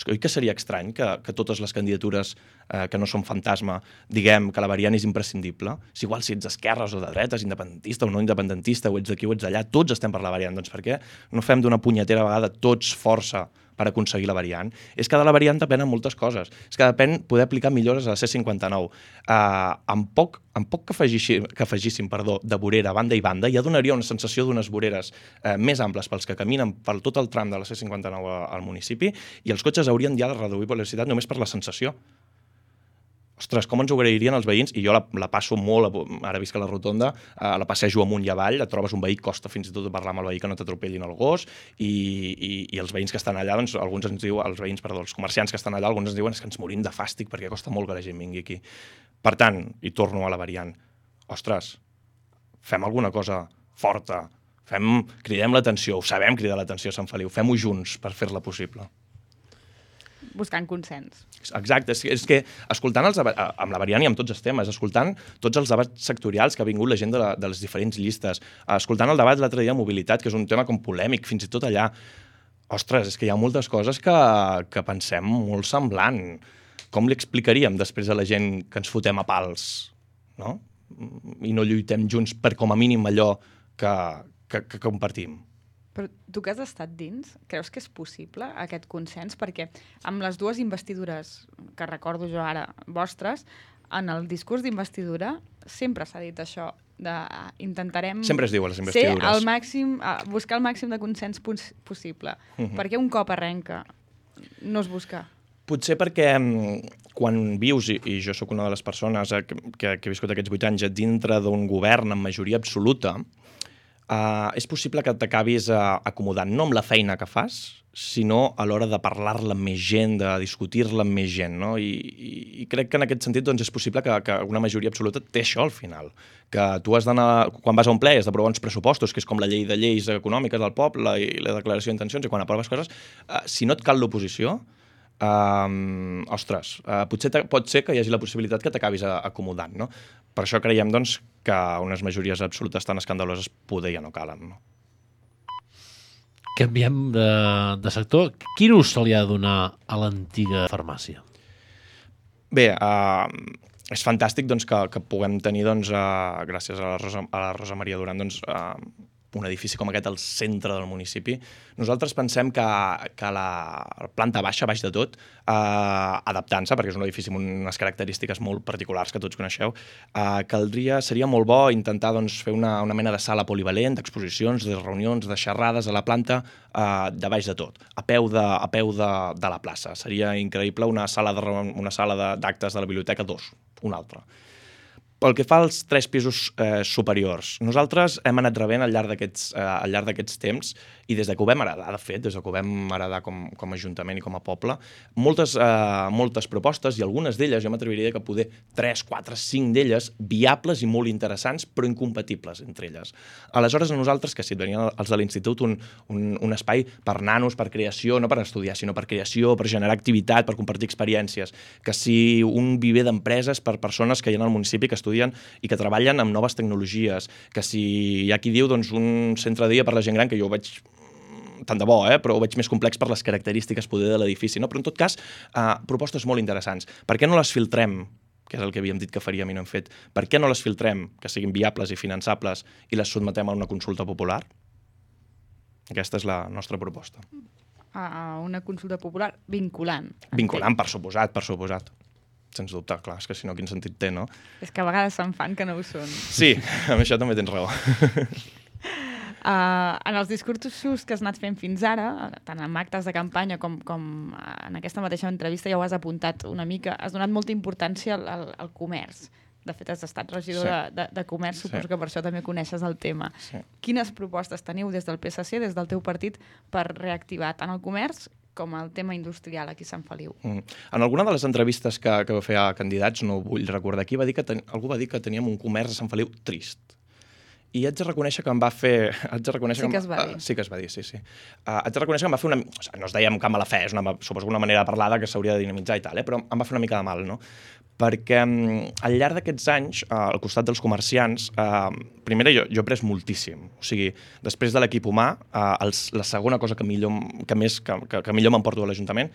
oi que seria estrany que, que totes les candidatures eh, que no són fantasma diguem que la variant és imprescindible? Si igual si ets d'esquerres o de dretes, independentista o no independentista, o ets d'aquí o ets d'allà, tots estem per la variant. Doncs per què no fem d'una punyetera vegada tots força per aconseguir la variant? És que de la variant depenen moltes coses. És que depèn poder aplicar millores a la C cinquanta-nou. Uh, amb poc, amb poc que, afegíssim, que afegíssim perdó, de vorera a banda i banda, ja donaria una sensació d'unes voreres uh, més amples pels que caminen per tot el tram de la C cinquanta-nou al municipi i els cotxes haurien ja de reduir velocitat només per la sensació. Ostres, com ens ho agrairien els veïns? I jo la, la passo molt, ara visc a la rotonda, eh, la passejo amunt i avall, et trobes un veí, costa fins i tot de parlar amb el veí que no t'atropellin el gos, i, i, i els veïns que estan allà, doncs, alguns ens diuen, els veïns, perdó, els comerciants que estan allà, alguns ens diuen és que ens morim de fàstic perquè costa molt que la gent vingui aquí. Per tant, i torno a la variant, ostres, fem alguna cosa forta, fem, cridem l'atenció, ho sabem cridar l'atenció a Sant Feliu, fem-ho junts per fer-la possible. Buscant consens. Exacte, és, és que escoltant els debats, amb la variant i amb tots els temes, escoltant tots els debats sectorials que ha vingut la gent de, la, de les diferents llistes, escoltant el debat l'altre dia de mobilitat, que és un tema com polèmic, fins i tot allà, ostres, és que hi ha moltes coses que, que pensem molt semblant. Com li explicaríem després a la gent que ens fotem a pals, no? I no lluitem junts per com a mínim allò que, que, que compartim? Però tu que has estat dins, creus que és possible aquest consens? Perquè amb les dues investidures, que recordo jo ara, vostres, en el discurs d'investidura sempre s'ha dit això, de intentarem sempre es diu a les investidures. ser el màxim, buscar el màxim de consens possible. Uh-huh. Per què un cop arrenca no es busca? Potser perquè quan vius, i, i jo sóc una de les persones que, que, que he viscut aquests vuit anys dintre d'un govern amb majoria absoluta, uh, és possible que t'acabis uh, acomodant no amb la feina que fas, sinó a l'hora de parlar-la amb més gent, de discutir-la amb més gent, no? I, i, i crec que en aquest sentit doncs, és possible que, que una majoria absoluta té això al final, que tu has d'anar, quan vas a un ple has d'aprovar uns pressupostos, que és com la llei de lleis econòmiques del poble i la declaració d'intencions, i quan aproves coses, uh, si no et cal l'oposició, Um, ostres, uh, potser pot ser que hi hagi la possibilitat que t'acabis acomodant, no? Per això creiem, doncs, que unes majories absolutes tan escandaloses poder ja no calen, no? Canviem de, de sector. Quin ús se li ha de donar a l'antiga farmàcia? Bé, uh, és fantàstic doncs, que, que puguem tenir, doncs, uh, gràcies a la, Rosa, a la Rosa Maria Duran, doncs, uh, un edifici com aquest al centre del municipi. Nosaltres pensem que, que la planta baixa, baix de tot, eh, adaptant-se, perquè és un edifici amb unes característiques molt particulars que tots coneixeu, eh, caldria, seria molt bo intentar doncs, fer una, una mena de sala polivalent, d'exposicions, de reunions, de xerrades a la planta, eh, de baix de tot, a peu de, a peu de, de la plaça. Seria increïble una sala de, una sala d'actes de, de la biblioteca dos, una altra. Pel que fa als tres pisos eh, superiors, nosaltres hem anat rebent al llarg d'aquests eh, al llarg d'aquests temps, i des de que ho vam heredar, de fet, des de que ho vam heredar com, com a Ajuntament i com a poble, moltes, eh, moltes propostes, i algunes d'elles, jo m'atreviria que poder tres, quatre, cinc d'elles, viables i molt interessants, però incompatibles entre elles. Aleshores, a nosaltres, que si et venien els de l'Institut, un, un, un espai per nanos, per creació, no per estudiar, sinó per creació, per generar activitat, per compartir experiències, que si un viver d'empreses per persones que hi ha al municipi que estudien i que treballen amb noves tecnologies, que si hi ha qui diu doncs, un centre de dia per la gent gran, que jo ho veig tant de bo, eh? Però ho veig més complex per les característiques poder de l'edifici, no? Però en tot cas, eh, propostes molt interessants. Per què no les filtrem, que és el que havíem dit que faríem i no hem fet, per què no les filtrem, que siguin viables i finançables, i les sotmetem a una consulta popular? Aquesta és la nostra proposta. A una consulta popular vinculant. Vinculant, per suposat, per suposat. Sens dubte, clar, és que si no, quin sentit té, no? És que a vegades se'n fan que no ho són. Sí, amb això també tens raó. Uh, en els discursos que has anat fent fins ara, tant en actes de campanya com, com en aquesta mateixa entrevista, ja ho has apuntat una mica, has donat molta importància al, al, al comerç. De fet, has estat regidor sí. de, de, de comerç, suposo sí. que per això també coneixes el tema. Sí. Quines propostes teniu des del P S C, des del teu partit, per reactivar tant el comerç com el tema industrial aquí a Sant Feliu? Mm. En alguna de les entrevistes que, que va fer a candidats, no vull recordar qui, va dir que ten... algú va dir que teníem un comerç a Sant Feliu trist. I haig de reconèixer que em va fer... Haig de reconèixer sí que es va dir. Uh, sí que es va dir, sí, sí. Uh, haig de reconèixer que em va fer una... O sigui, no es deia amb camp a la fe, és una, suposo una manera de parlar que s'hauria de dinamitzar i tal, eh? Però em va fer una mica de mal, no? Perquè um, al llarg d'aquests anys, uh, al costat dels comerciants, uh, primera, jo, jo he après moltíssim. O sigui, després de l'equip humà, uh, els, la segona cosa que, millor, que, més, que, que, que millor m'emporto a l'Ajuntament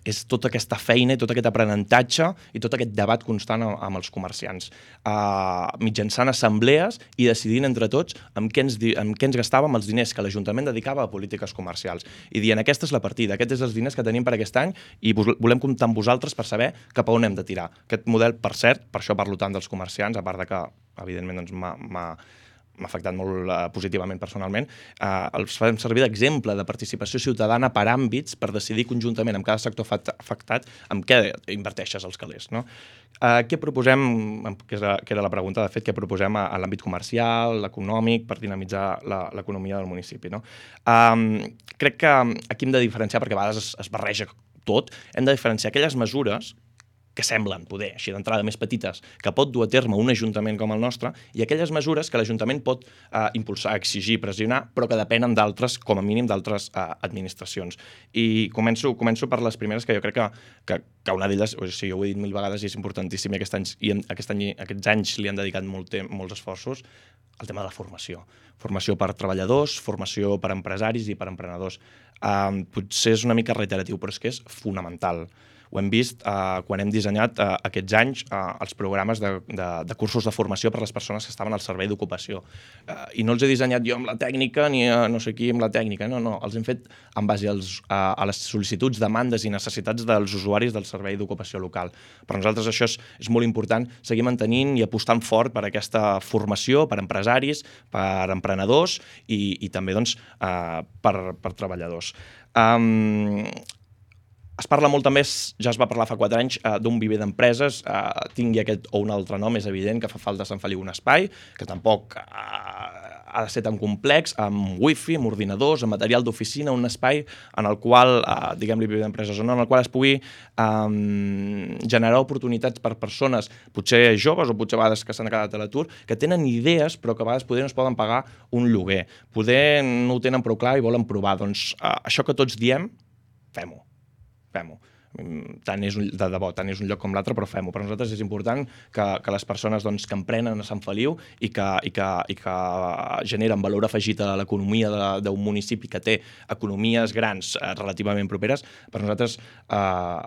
és tota aquesta feina i tot aquest aprenentatge i tot aquest debat constant amb, amb els comerciants. Uh, mitjançant assemblees i decidint entre tots amb què ens, amb què ens gastàvem els diners que l'Ajuntament dedicava a polítiques comercials. I dient, aquesta és la partida, aquests són els diners que tenim per aquest any i volem comptar amb vosaltres per saber cap a on hem de tirar. Aquest model, per cert, per això parlo tant dels comerciants, a part de que, evidentment, doncs, m'ha... m'ha afectat molt uh, positivament personalment, uh, els fem servir d'exemple de participació ciutadana per àmbits per decidir conjuntament amb cada sector afectat amb què inverteixes els calés. No? Uh, què proposem, que era la pregunta, de fet, què proposem a, a l'àmbit comercial, econòmic, per dinamitzar l'economia del municipi? No? Um, crec que aquí hem de diferenciar, perquè a vegades es, es barreja tot, hem de diferenciar aquelles mesures que semblen poder, així d'entrada més petites, que pot dur a terme un ajuntament com el nostre, i aquelles mesures que l'Ajuntament pot eh, impulsar, exigir, pressionar, però que depenen d'altres, com a mínim d'altres eh, administracions. I començo, començo per les primeres, que jo crec que, que, que una d'elles, o sigui, ho he dit mil vegades i és importantíssim, i, aquest any, i aquest any, aquests anys li han dedicat molt temps, molts esforços, el tema de la formació. Formació per treballadors, formació per empresaris i per emprenedors. Eh, potser és una mica reiteratiu, però és que és fonamental. Ho hem vist eh, quan hem dissenyat eh, aquests anys eh, els programes de, de, de cursos de formació per a les persones que estaven al servei d'ocupació. Eh, I no els he dissenyat jo amb la tècnica ni a no sé qui amb la tècnica, no, no. Els hem fet en base als, a, a les sol·licituds, demandes i necessitats dels usuaris del servei d'ocupació local. Per nosaltres això és, és molt important, seguir mantenint i apostant fort per aquesta formació, per empresaris, per emprenedors i, i també doncs, eh, per, per treballadors. Um, Es parla molt també, ja es va parlar fa quatre anys, eh, d'un viver d'empreses, eh, tingui aquest o un altre nom, és evident que fa falta a Sant Feliu un espai, que tampoc eh, ha de ser tan complex, amb wifi, amb ordinadors, amb material d'oficina, un espai en el qual, eh, diguem-li, d'empreses, en el qual es pugui eh, generar oportunitats per persones, potser joves o potser a vegades que s'han quedat a l'atur, que tenen idees però que a vegades poder no es poden pagar un lloguer. Poder no ho tenen prou clar i volen provar. Doncs eh, això que tots diem, fem-ho. Fem-ho. Tant és un, de debò, tant és un lloc com l'altre, però fem-ho. Per nosaltres és important que, que les persones doncs, que emprenen a Sant Feliu i que, i que, i que generen valor afegit a l'economia d'un municipi que té economies grans eh, relativament properes, per nosaltres eh,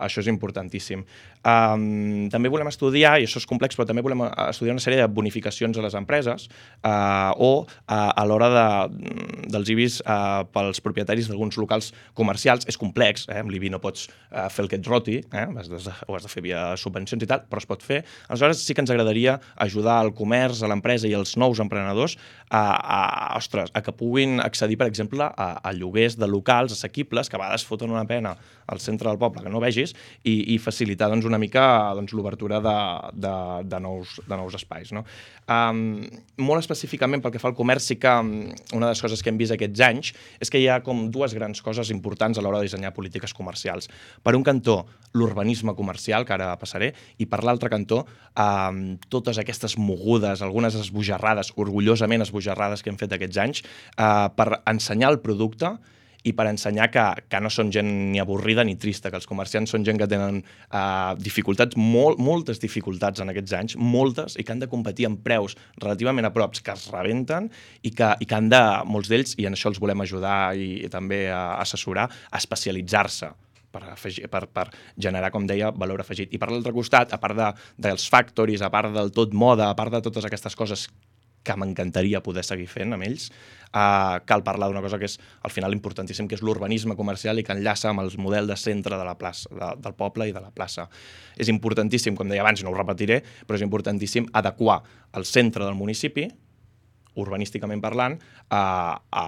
això és importantíssim. Um, també volem estudiar, i això és complex, però també volem estudiar una sèrie de bonificacions a les empreses eh, o eh, a l'hora de, dels I B Is eh, pels propietaris d'alguns locals comercials. És complex, eh? Amb l'I B I no pots eh, fer el que et roti, eh? Has de, ho has de fer via subvencions i tal, però es pot fer. Aleshores sí que ens agradaria ajudar al comerç, a l'empresa i als nous emprenedors a, a, ostres, a que puguin accedir, per exemple, a, a lloguers de locals assequibles, que a vegades foten una pena al centre del poble que no vegis, i, i facilitar doncs, una mica doncs, l'obertura de, de, de, nous, de nous espais. No? Um, molt específicament pel que fa al comerç, sí que um, una de les coses que hem vist aquests anys és que hi ha com dues grans coses importants a l'hora de dissenyar polítiques comercials. Per un cantó, l'urbanisme comercial, que ara passaré, i per l'altre cantó, eh, totes aquestes mogudes, algunes esbojarrades, orgullosament esbojarrades que hem fet aquests anys, eh, per ensenyar el producte i per ensenyar que, que no són gent ni avorrida ni trista, que els comerciants són gent que tenen eh, dificultats, molt, moltes dificultats en aquests anys, moltes, i que han de competir amb preus relativament a props, que es rebenten, i que, i que han de, molts d'ells, i en això els volem ajudar i, i també a assessorar, a especialitzar-se. Per, afegir, per, per generar, com deia, valor afegit. I per l'altre costat, a part de, dels factories, a part del tot moda, a part de totes aquestes coses que m'encantaria poder seguir fent amb ells, eh, cal parlar d'una cosa que és, al final, importantíssim, que és l'urbanisme comercial i que enllaça amb el model de centre de la plaça, de, del poble i de la plaça. És importantíssim, com deia abans, no ho repetiré, però és importantíssim adequar el centre del municipi, urbanísticament parlant, a, a,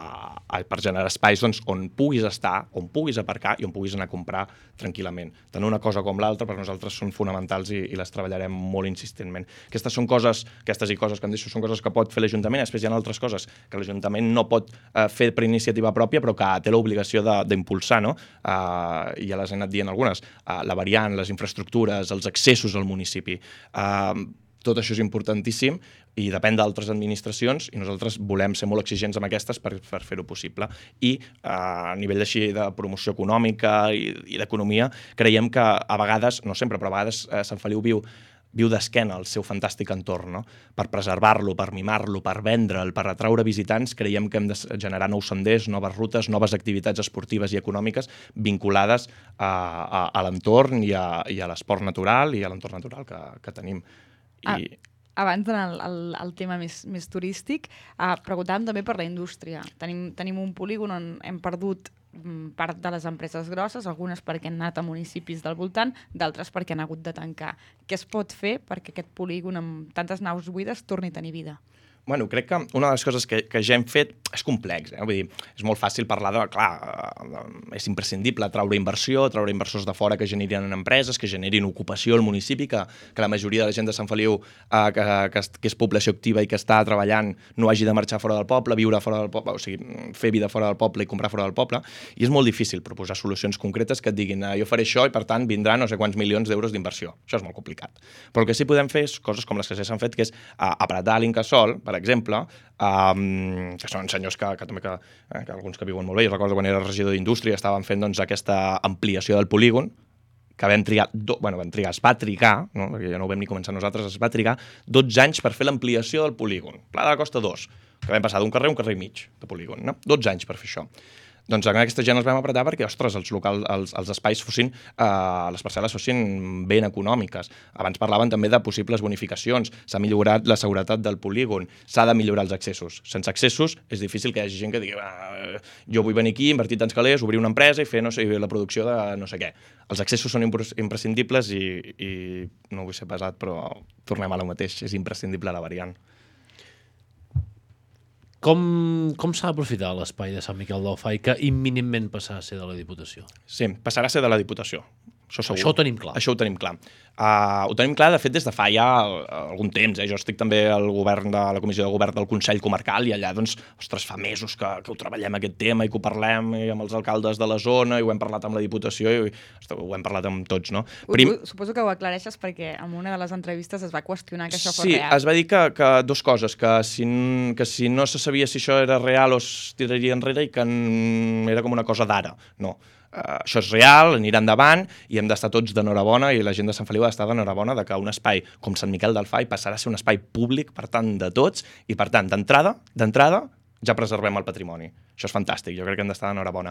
a, per generar espais doncs, on puguis estar, on puguis aparcar i on puguis anar a comprar tranquil·lament. Tant una cosa com l'altra per nosaltres són fonamentals i, i les treballarem molt insistentment. Aquestes són coses, aquestes i coses que em deixo, són coses que pot fer l'Ajuntament, després hi ha altres coses que l'Ajuntament no pot eh, fer per iniciativa pròpia, però que té l'obligació d'impulsar, no? Eh, ja les he anat dient algunes, eh, la variant, les infraestructures, els accessos al municipi. Eh, Tot això és importantíssim i depèn d'altres administracions i nosaltres volem ser molt exigents amb aquestes per, per fer-ho possible. I eh, a nivell així de promoció econòmica i, i d'economia creiem que a vegades, no sempre, però a vegades eh, Sant Feliu viu viu d'esquena el seu fantàstic entorn, no? Per preservar-lo, per mimar-lo, per vendre'l, per atraure visitants, creiem que hem de generar nous senders, noves rutes, noves activitats esportives i econòmiques vinculades a, a, a l'entorn i a, i a l'esport natural i a l'entorn natural que, que tenim. I... Ah, abans d'anar al, al, al tema més, més turístic, eh, preguntàvem també per la indústria. Tenim, tenim un polígon on hem perdut mm, part de les empreses grosses, algunes perquè han anat a municipis del voltant, d'altres perquè han hagut de tancar. Què es pot fer perquè aquest polígon amb tantes naus buides torni a tenir vida? Bueno, crec que una de les coses que, que ja hem fet és complex, eh? Vull dir, és molt fàcil parlar de, clar, és imprescindible traure inversió, traure inversors de fora que generin empreses, que generin ocupació al municipi, que, que la majoria de la gent de Sant Feliu eh, que, que, que és població activa i que està treballant no hagi de marxar fora del poble, viure fora del poble, o sigui, fer vida fora del poble i comprar fora del poble, i és molt difícil proposar solucions concretes que et diguin eh, jo faré això i per tant vindran no sé quants milions d'euros d'inversió. Això és molt complicat. Però el que sí podem fer és coses com les que s'han fet, que és eh, apretar l'Incasòl, per exemple, um, que són senyors que, que també que, eh, que alguns que viuen molt bé. Jo recordo quan era regidor d'Indústria estaven fent doncs, aquesta ampliació del polígon, que vam trigar, do, bueno, vam trigar, es va trigar, no? Perquè ja no ho vam ni començar nosaltres, es va trigar dotze anys per fer l'ampliació del polígon. Pla de la Costa dos, que vam passar d'un carrer a un carrer i mig de polígon, no? dotze anys per fer això. Doncs amb aquesta gent els vam apretar perquè, ostres, els, local, els, els espais fossin, eh, les parcel·les fossin ben econòmiques. Abans parlaven també de possibles bonificacions, s'ha millorat la seguretat del polígon, s'ha de millorar els accessos. Sense accessos és difícil que hi hagi gent que digui ah, jo vull venir aquí, invertir tants calés, obrir una empresa i fer no sé, la producció de no sé què. Els accessos són imprescindibles i, i no vull ser pesat, però tornem a lo mateix, és imprescindible la variant. Com, com s'ha d'aprofitar l'espai de Sant Miquel del Fai que imminentment passarà a ser de la Diputació? Sí, passarà a ser de la Diputació. Això segur. Això ho tenim clar. Això ho tenim clar. Uh, ho tenim clar, de fet, des de fa ja algun temps. Eh? Jo estic també al govern de la Comissió de Govern del Consell Comarcal i allà, doncs, ostres, fa mesos que, que ho treballem aquest tema i que ho parlem i amb els alcaldes de la zona i ho hem parlat amb la Diputació i ostres, ho hem parlat amb tots, no? Prim... Suposo que ho aclareixes perquè en una de les entrevistes es va qüestionar que això fos sí, real. Sí, es va dir que, que dos coses, que si, que si no se sabia si això era real o es tiraria enrere i que era com una cosa d'ara. No. Uh, això és real, anirà endavant i hem d'estar tots d'enhorabona i la gent de Sant Feliu ha d'estar d'enhorabona de que un espai com Sant Miquel del Fai passarà a ser un espai públic, per tant, de tots i, per tant, d'entrada, d'entrada ja preservem el patrimoni. Això és fantàstic, jo crec que hem d'estar d'enhorabona.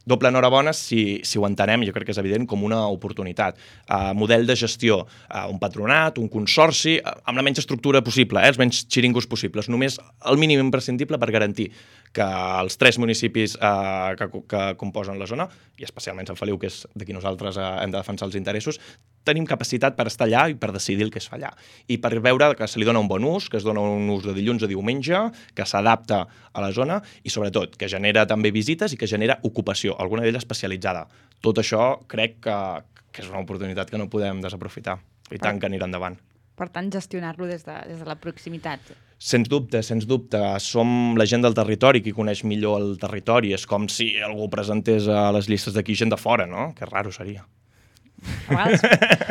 Doble enhorabona si, si ho entenem, jo crec que és evident, com una oportunitat. Uh, model de gestió, uh, un patronat, un consorci, uh, amb la menys estructura possible, eh, els menys xiringos possibles, només el mínim imprescindible per garantir que els tres municipis uh, que, que composen la zona, i especialment Sant Feliu, que és de qui nosaltres uh, hem de defensar els interessos, tenim capacitat per estar allà i per decidir el que es fa allà. I per veure que se li dona un bon ús, que es dona un ús de dilluns a diumenge, que s'adapta a la zona i, sobretot, que genera també visites i que genera ocupació, alguna d'ella especialitzada. Tot això crec que, que és una oportunitat que no podem desaprofitar. I tant que anirà endavant. Per tant, gestionar-lo des, de, des de la proximitat. Sens dubte, sens dubte. Som la gent del territori qui coneix millor el territori. És com si algú presentés a les llistes d'aquí gent de fora, no? Que raro seria. A vegades,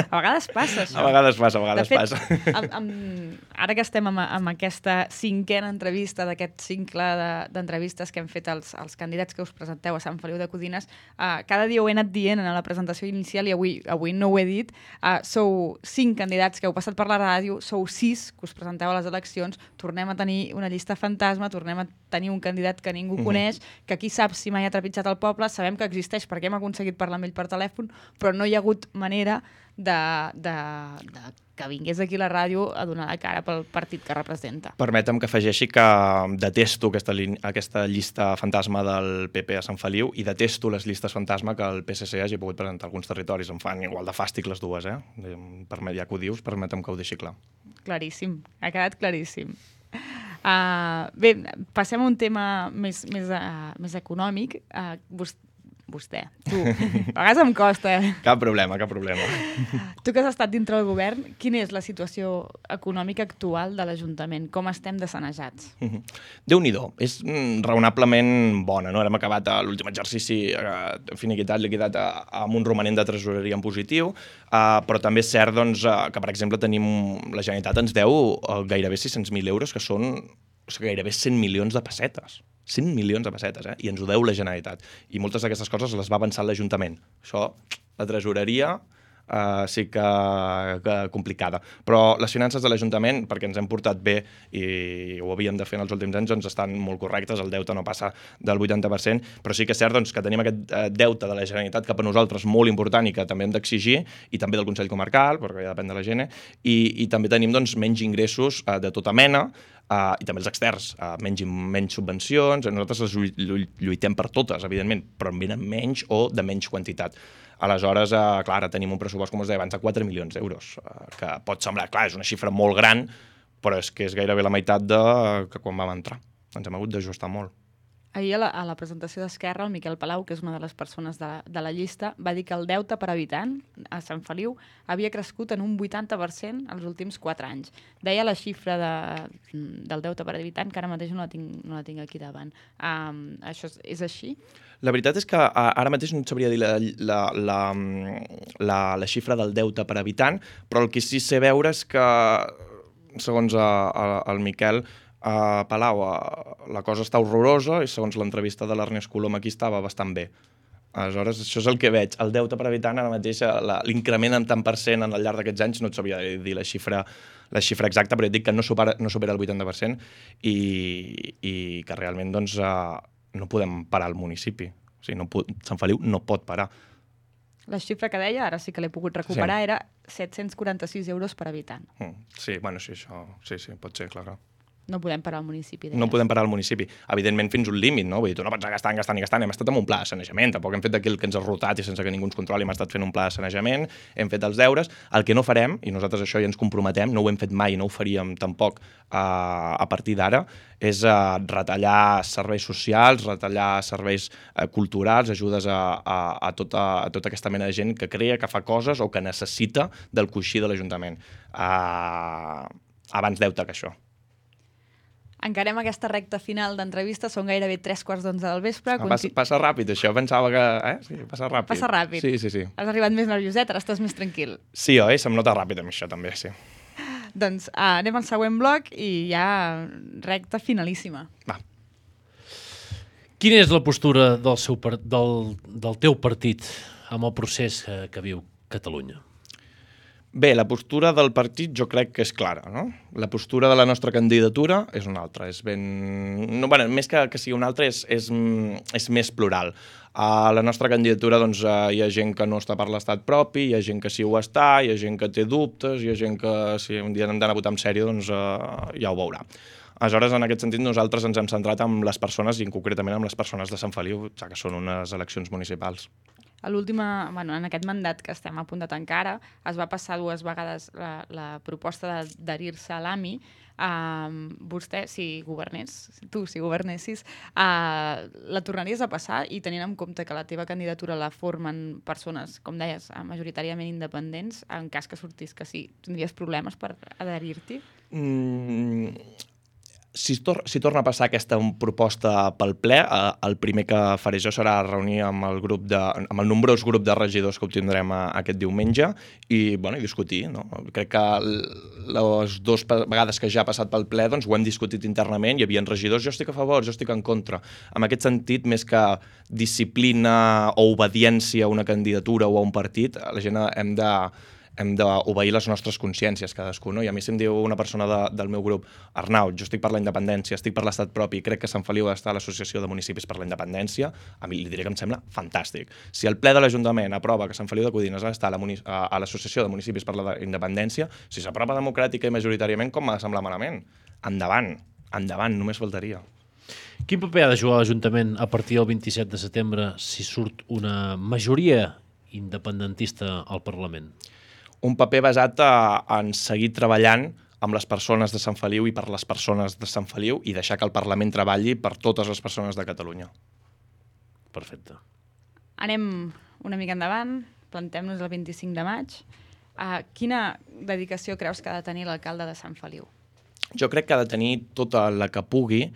a vegades passa, això. A vegades passa, a vegades de fet, passa. Amb, amb, ara que estem amb, amb aquesta cinquena entrevista d'aquest cicle d'entrevistes de, que hem fet als, als candidats que us presenteu a Sant Feliu de Codines, uh, cada dia ho he anat dient en la presentació inicial i avui, avui no ho he dit. Uh, sou cinc candidats que heu passat per la ràdio, sou sis que us presenteu a les eleccions, tornem a tenir una llista fantasma, tornem a tenir un candidat que ningú uh-huh. coneix, que qui sap si mai ha trepitjat el poble, sabem que existeix perquè hem aconseguit parlar amb ell per telèfon, però no hi ha hagut manera de, de, de que vingués aquí a la ràdio a donar la cara pel partit que representa. Permetem que afegeixi que detesto aquesta, aquesta llista fantasma del P P a Sant Feliu i detesto les llistes fantasma que el P S C hagi pogut presentar a alguns territoris. Em fan igual de fàstic les dues, eh? Ja que ho dius, permetem que ho deixi clar. Claríssim, ha quedat claríssim. Uh, bé, passem a un tema més, més, uh, més econòmic. Uh, vostè Vostè, tu. A vegades em costa. Eh? Cap problema, cap problema. Tu que has estat dintre del govern, quina és la situació econòmica actual de l'Ajuntament? Com estem de sanejats? Mm-hmm. Déu-n'hi-do. És mm, raonablement bona, no? Hem acabat l'últim exercici eh, finiquitat, liquidat eh, amb un romanent de tresoreria en positiu, eh, però també és cert doncs, eh, que, per exemple, tenim la Generalitat ens deu eh, gairebé sis-cents mil euros, que són o sigui, gairebé cent milions de pessetes. cent milions de pessetes, eh? I ens ho deu la Generalitat. I moltes d'aquestes coses les va avançar l'Ajuntament. Això, la tresoreria, uh, sí que, que complicada. Però les finances de l'Ajuntament, perquè ens hem portat bé i ho havíem de fer en els últims anys, doncs estan molt correctes, el deute no passa del vuitanta per cent, però sí que és cert doncs, que tenim aquest uh, deute de la Generalitat cap a nosaltres molt important i que també hem d'exigir, i també del Consell Comarcal, perquè ja depèn de la Gene, i, i també tenim doncs, menys ingressos uh, de tota mena, Uh, i també els externs, uh, menys, menys subvencions, nosaltres les lluitem per totes, evidentment, però en venen menys o de menys quantitat. Aleshores, uh, clar, ara tenim un pressupost, com us deia abans, de quatre milions d'euros, uh, que pot semblar, clar, és una xifra molt gran, però és que és gairebé la meitat de uh, que quan vam entrar. Ens hem hagut d'ajustar molt. Ahir a la, a la presentació d'Esquerra, el Miquel Palau, que és una de les persones de la, de la llista, va dir que el deute per habitant a Sant Feliu havia crescut en un vuitanta per cent els últims quatre anys. Deia la xifra de, del deute per habitant, que ara mateix no la tinc, no la tinc aquí davant. Um, això és, és així? La veritat és que ara mateix no et sabria dir la, la, la, la, la xifra del deute per habitant, però el que sí sé veure és que, segons a, a, el Miquel, a Palau uh, la cosa està horrorosa i segons l'entrevista de l'Ernest Colom aquí estava bastant bé. Aleshores, això és el que veig. El deute per habitant ara mateix, l'increment en tant per cent al llarg d'aquests anys, no et sabia dir la xifra, la xifra exacta, però et dic que no supera, no supera el vuitanta per cent i, i que realment doncs, uh, no podem parar el municipi. O sigui, no pot, Sant Feliu no pot parar. La xifra que deia, ara sí que l'he pogut recuperar, sí. Era set-cents quaranta-sis euros per habitant. Mm, sí, bueno, sí, això, sí, sí, pot ser, clar. No podem parar el municipi. Deies. No podem parar el municipi. Evidentment, fins un límit, no? Vull dir, tu no pots anar gastant, gastant i gastant. Hem estat amb un pla de sanejament. Tampoc hem fet d'aquí el que ens ha rotat i sense que ningú ens controli. Hem estat fent un pla de sanejament, hem fet els deures. El que no farem, i nosaltres això ja ens comprometem, no ho hem fet mai i no ho faríem tampoc uh, a partir d'ara, és uh, retallar serveis socials, retallar serveis uh, culturals, ajudes a, a, a, tota, a tota aquesta mena de gent que crea, que fa coses o que necessita del coixí de l'Ajuntament. Uh, abans deute que això. Encarem aquesta recta final d'entrevista, són gairebé tres quarts d'onze del vespre. Ah, passa, passa ràpid, això, pensava que... Eh? Sí, passa ràpid. Passa ràpid. Sí, sí, sí. Has arribat més nervioset, ara estàs més tranquil. Sí, oi? Se'm nota ràpid amb això, també, sí. Doncs uh, anem al següent bloc i ja recta finalíssima. Va. Quina és la postura del, seu par del, del teu partit amb el procés que, que viu Catalunya? Bé, la postura del partit jo crec que és clara, no? La postura de la nostra candidatura és una altra, és ben... No, bueno, més que, que sigui una altra, és, és, és més plural. A la nostra candidatura doncs, hi ha gent que no està per l'estat propi, hi ha gent que sí ho està, hi ha gent que té dubtes, hi ha gent que si un dia hem d'anar a votar en sèrio doncs uh, ja ho veurà. Aleshores, en aquest sentit, nosaltres ens hem centrat en les persones i concretament en les persones de Sant Feliu, ja que són unes eleccions municipals. A l'última, bueno, en aquest mandat que estem a punt de tancar ara, es va passar dues vegades la, la proposta d'adherir-se a l'AMI. Uh, vostè, si governés, tu, si governessis, uh, la tornaries a passar i tenint en compte que la teva candidatura la formen persones, com deies, majoritàriament independents, en cas que sortís que sí, tindries problemes per adherir-t'hi? Mm, si, tor si torna a passar aquesta proposta pel ple, eh, el primer que faré jo serà reunir amb el, grup de, amb el nombrós grup de regidors que obtindrem a, aquest diumenge i, bueno, i discutir. No? Crec que les dues vegades que ja ha passat pel ple doncs, ho hem discutit internament, hi havia regidors, jo estic a favor, jo estic en contra. En aquest sentit, més que disciplina o obediència a una candidatura o a un partit, la gent hem de hem d'obeir les nostres consciències cadascú, no? I a mi si em diu una persona de, del meu grup, Arnau, jo estic per la independència, estic per l'estat propi, crec que Sant Feliu ha d'estar a l'Associació de Municipis per la Independència, a mi li diré que em sembla fantàstic. Si el ple de l'Ajuntament aprova que Sant Feliu de Codines ha d'estar a l'Associació de Municipis per la Independència, si s'aprova democràtica i majoritàriament, com m'ha de semblar malament? Endavant, endavant, només faltaria. Quin paper ha de jugar l'Ajuntament a partir del vint-i-set de setembre si surt una majoria independentista al Parlament? Un paper basat a, en seguir treballant amb les persones de Sant Feliu i per les persones de Sant Feliu i deixar que el Parlament treballi per totes les persones de Catalunya. Perfecte. Anem una mica endavant, plantem-nos el vint-i-cinc de maig. Uh, quina dedicació creus que ha de tenir l'alcalde de Sant Feliu? Jo crec que ha de tenir tota la que pugui,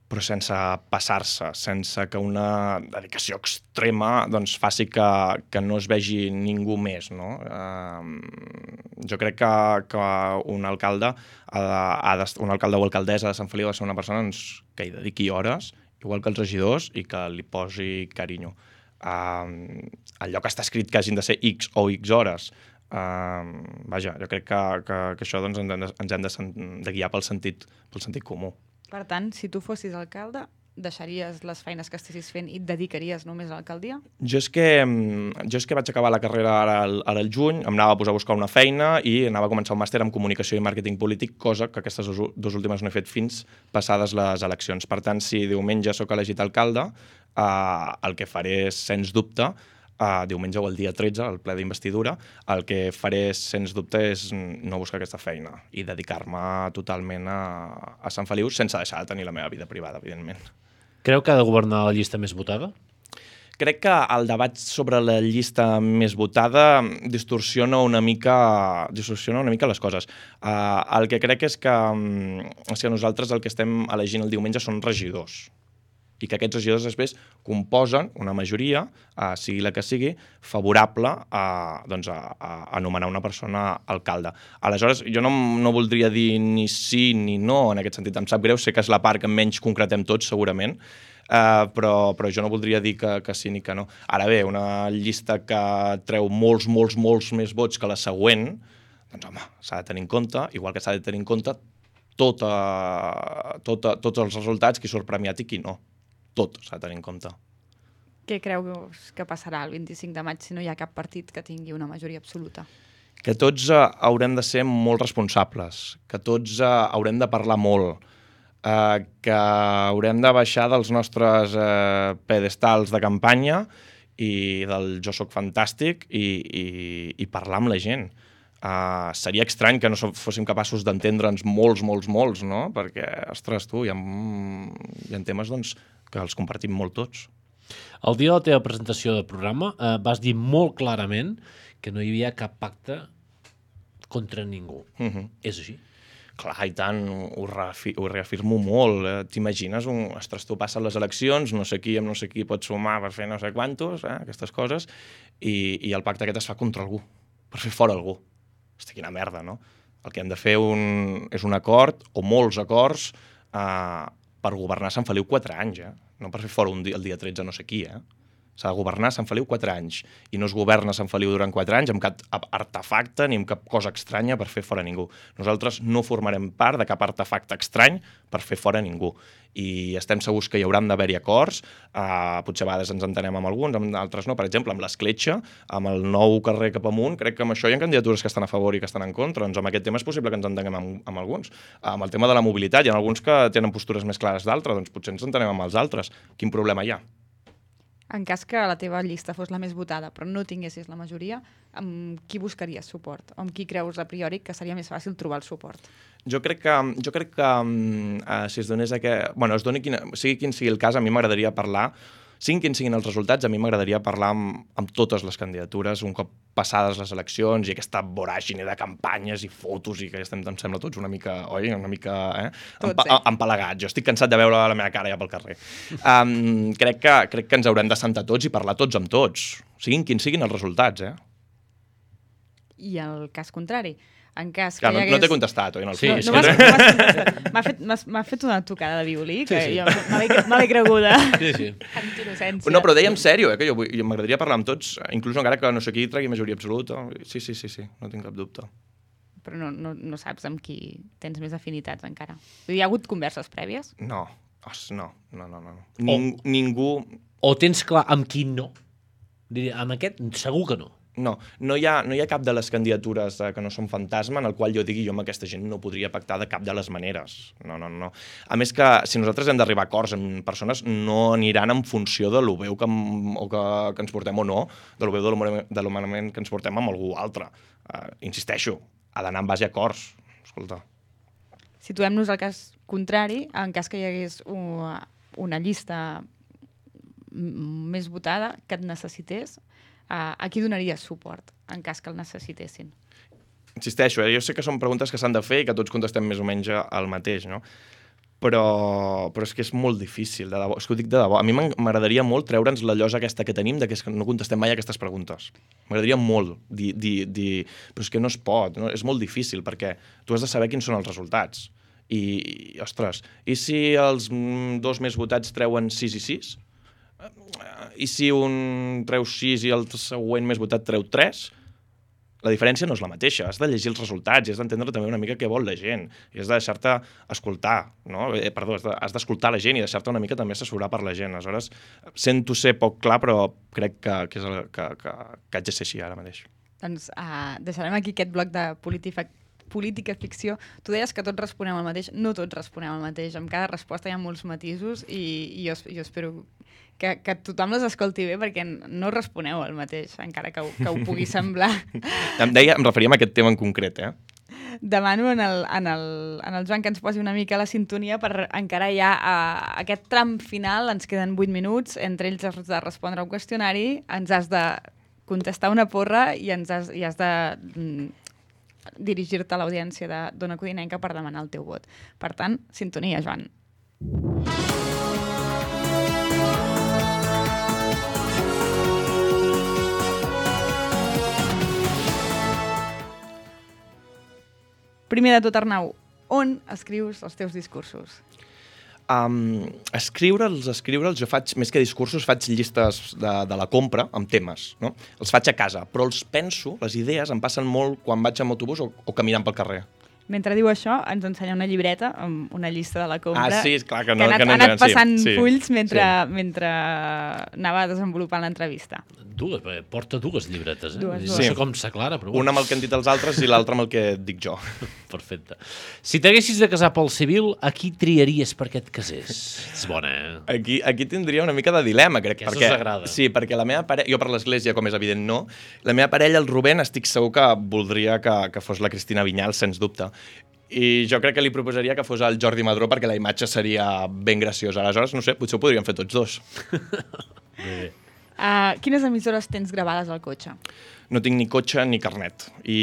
però sense passar-se, sense que una dedicació extrema doncs, faci que, que no es vegi ningú més. No? Uh, jo crec que, que un, alcalde ha de, ha de, un alcalde o alcaldessa de Sant Feliu ha de ser una persona doncs, que hi dediqui hores, igual que els regidors, i que li posi carinyo. Uh, el lloc està escrit que hagin de ser X o X hores. Uh, vaja, jo crec que, que, que això doncs, ens hem de, ens hem de, de guiar pel sentit, pel sentit comú. Per tant, si tu fossis alcalde, deixaries les feines que estessis fent i et dedicaries només a l'alcaldia? Jo és que jo és que vaig acabar la carrera ara al, ara al juny, em anava a posar a buscar una feina i anava a començar un màster en comunicació i màrqueting polític, cosa que aquestes dues últimes no he fet fins passades les eleccions. Per tant, si diumenge sóc elegit alcalde, eh, el que faré, sens dubte, Uh, diumenge o el dia tretze, el ple d'investidura, el que faré, sens dubte, és no buscar aquesta feina i dedicar-me totalment a, a Sant Feliu sense deixar de tenir la meva vida privada, evidentment. Creu que ha de governar la llista més votada? Crec que el debat sobre la llista més votada distorsiona una mica, distorsiona una mica les coses. Uh, el que crec és que, um, o sigui, nosaltres el que estem elegint el diumenge són regidors, i que aquests regidors després composen una majoria, eh, sigui la que sigui, favorable a, doncs a, a nomenar una persona alcalde. Aleshores, jo no, no voldria dir ni sí ni no en aquest sentit. Em sap greu, sé que és la part que menys concretem tots, segurament, eh, però, però jo no voldria dir que, que sí ni que no. Ara bé, una llista que treu molts, molts, molts més vots que la següent, doncs home, s'ha de tenir en compte, igual que s'ha de tenir en compte tota, tota, tots els resultats, qui surt premiat i qui no. Tot s'ha de tenir en compte. Què creus que passarà el vint-i-cinc de maig si no hi ha cap partit que tingui una majoria absoluta? que tots uh, haurem de ser molt responsables, que tots uh, haurem de parlar molt, uh, que haurem de baixar dels nostres uh, pedestals de campanya i del jo soc fantàstic i, i, i parlar amb la gent. Uh, seria estrany que no fóssim capaços d'entendre'ns molts, molts, molts, no? Perquè, ostres, tu, hi ha, hi ha temes doncs, que els compartim molt tots. El dia de la teva presentació de programa eh, vas dir molt clarament que no hi havia cap pacte contra ningú. Uh-huh. És així? Clar, i tant, ho, reafi ho reafirmo molt. Eh? T'imagines, un, ostres, tu passen les eleccions, no sé qui amb no sé qui pot sumar per fer no sé quantos, eh? Aquestes coses, i, i el pacte aquest es fa contra algú, per fer fora algú. Hosti, quina merda, no? El que hem de fer un, és un acord, o molts acords, eh, per governar Sant Feliu quatre anys, eh? No per fer fora un dia, el dia tretze no sé qui, eh? S'ha de governar Sant Feliu quatre anys, i no es governa Sant Feliu durant quatre anys amb cap artefacte ni amb cap cosa estranya per fer fora ningú. Nosaltres no formarem part de cap artefacte estrany per fer fora ningú. I estem segurs que hi hauran d'haver-hi acords, eh, potser a vegades ens entenem amb alguns, amb altres no. Per exemple, amb l'Escletxa, amb el nou carrer cap amunt, crec que amb això hi ha candidatures que estan a favor i que estan en contra. Doncs amb aquest tema és possible que ens entenguem amb, amb alguns. Amb el tema de la mobilitat, hi ha alguns que tenen postures més clares d'altres, doncs potser ens entenem amb els altres. Quin problema hi ha? En cas que la teva llista fos la més votada, però no tinguessis la majoria, amb qui buscaries suport? O amb qui creus a priori que seria més fàcil trobar el suport? Jo crec que, jo crec que uh, si es donés aquest... Bueno, es doni quina, sigui quin sigui el cas, a mi m'agradaria parlar, siguin quins siguin els resultats, a mi m'agradaria parlar amb, amb totes les candidatures un cop passades les eleccions i aquesta voràgine de campanyes i fotos i que estem, em sembla, tots una mica, oi? Una mica eh? Empa eh? empalagats. Jo estic cansat de veure la meva cara ja pel carrer. Um, crec, que, crec que ens haurem de sentar tots i parlar tots amb tots, siguin quins siguin els resultats. Eh? I el cas contrari, en cas Clar, que hi hagués... No, no t'he contestat, oi? No, sí, no, sí. no m'ha fet, fet una tocada de violí, que sí, sí. Jo me l'he creguda. Sí, sí. Amb innocència. No, però deia en sèrio, eh, que jo, jo m'agradaria parlar amb tots, inclús encara que no sé qui tregui majoria absoluta. Sí, sí, sí, sí, no tinc cap dubte. Però no, no, no saps amb qui tens més afinitats encara. Hi ha hagut converses prèvies? No, Os, no, no, no. no. Ning, o, ningú... O tens clar amb qui no? Diria, amb aquest segur que no. No, no hi, ha, no hi ha cap de les candidatures eh, que no són fantasma en el qual jo digui jo amb aquesta gent no podria pactar de cap de les maneres. No, no, no. A més que si nosaltres hem d'arribar a acords amb persones no aniran en funció de lo veu que, o que, que ens portem o no, de lo veu de l'humanament que ens portem amb algú altre. Uh, insisteixo, ha d'anar en base a acords. Escolta. Situem-nos al cas contrari, en cas que hi hagués una, una llista més votada que et necessités, Uh, a qui donaries suport en cas que el necessitessin? Insisteixo, eh? Jo sé que són preguntes que s'han de fer i que tots contestem més o menys el mateix, no? Però, però és que és molt difícil, de debò. És que ho dic de debò. A mi m'agradaria molt treure'ns la llosa aquesta que tenim de que no contestem mai aquestes preguntes. M'agradaria molt dir, dir, dir... Però és que no es pot, no? És molt difícil perquè tu has de saber quins són els resultats. I, i ostres, i si els dos més votats treuen sis i sis? I si un treu sis i el següent més votat treu tres, la diferència no és la mateixa. Has de llegir els resultats i has d'entendre també una mica què vol la gent. I has de deixar-te escoltar, no? Eh, perdó, has d'escoltar la gent i deixar-te una mica també assessorar per la gent. Aleshores, sento ser poc clar, però crec que, que, és el, que, que, que haig de ser així ara mateix. Doncs uh, deixarem aquí aquest bloc de política política ficció. Tu deies que tots responem el mateix. No tots responem el mateix. Amb cada resposta hi ha molts matisos i, i jo, jo espero que, que tothom les escolti bé perquè no responeu el mateix, encara que, que ho pugui semblar. Em deia, em referia a aquest tema en concret, eh? Demano en el, en, el, en el Joan que ens posi una mica la sintonia per encarar ja a aquest tram final. Ens queden vuit minuts. Entre ells has de respondre un qüestionari, ens has de contestar una porra i ens has, i has de mm, dirigir-te a l'audiència de d'Ona Codinenca per demanar el teu vot. Per tant, sintonia, Joan. Primer de tot, Arnau, on escrius els teus discursos? Um, escriure'ls, escriure'ls, jo faig, més que discursos, faig llistes de, de la compra amb temes, no? Els faig a casa, però els penso, les idees em passen molt quan vaig amb autobús o, o caminant pel carrer. Mentre diu això, ens ensenya una llibreta amb una llista de la compra. Ah, sí, clar que no. Que ha anat, que no ha anat passant sí, sí, fulls mentre, sí. mentre anava desenvolupant l'entrevista. Dues, porta dues llibretes, eh? Dues, no dues. sé com s'aclara, però... Una amb el que han dit els altres i l'altra amb el que dic jo. Perfecte. Si t'haguessis de casar pel civil, a qui triaries perquè et casés? És bona, eh? Aquí, aquí tindria una mica de dilema, crec. Aquesta perquè, us agrada. Sí, perquè la meva parella... Jo per l'església, com és evident, no. La meva parella, el Rubén, estic segur que voldria que, que fos la Cristina Vinyals, sens dubte. I jo crec que li proposaria que fos el Jordi Madró perquè la imatge seria ben graciosa. Aleshores, no sé, potser ho podríem fer tots dos. Bé, bé. Uh, quines emissores tens gravades al cotxe? No tinc ni cotxe ni carnet. I,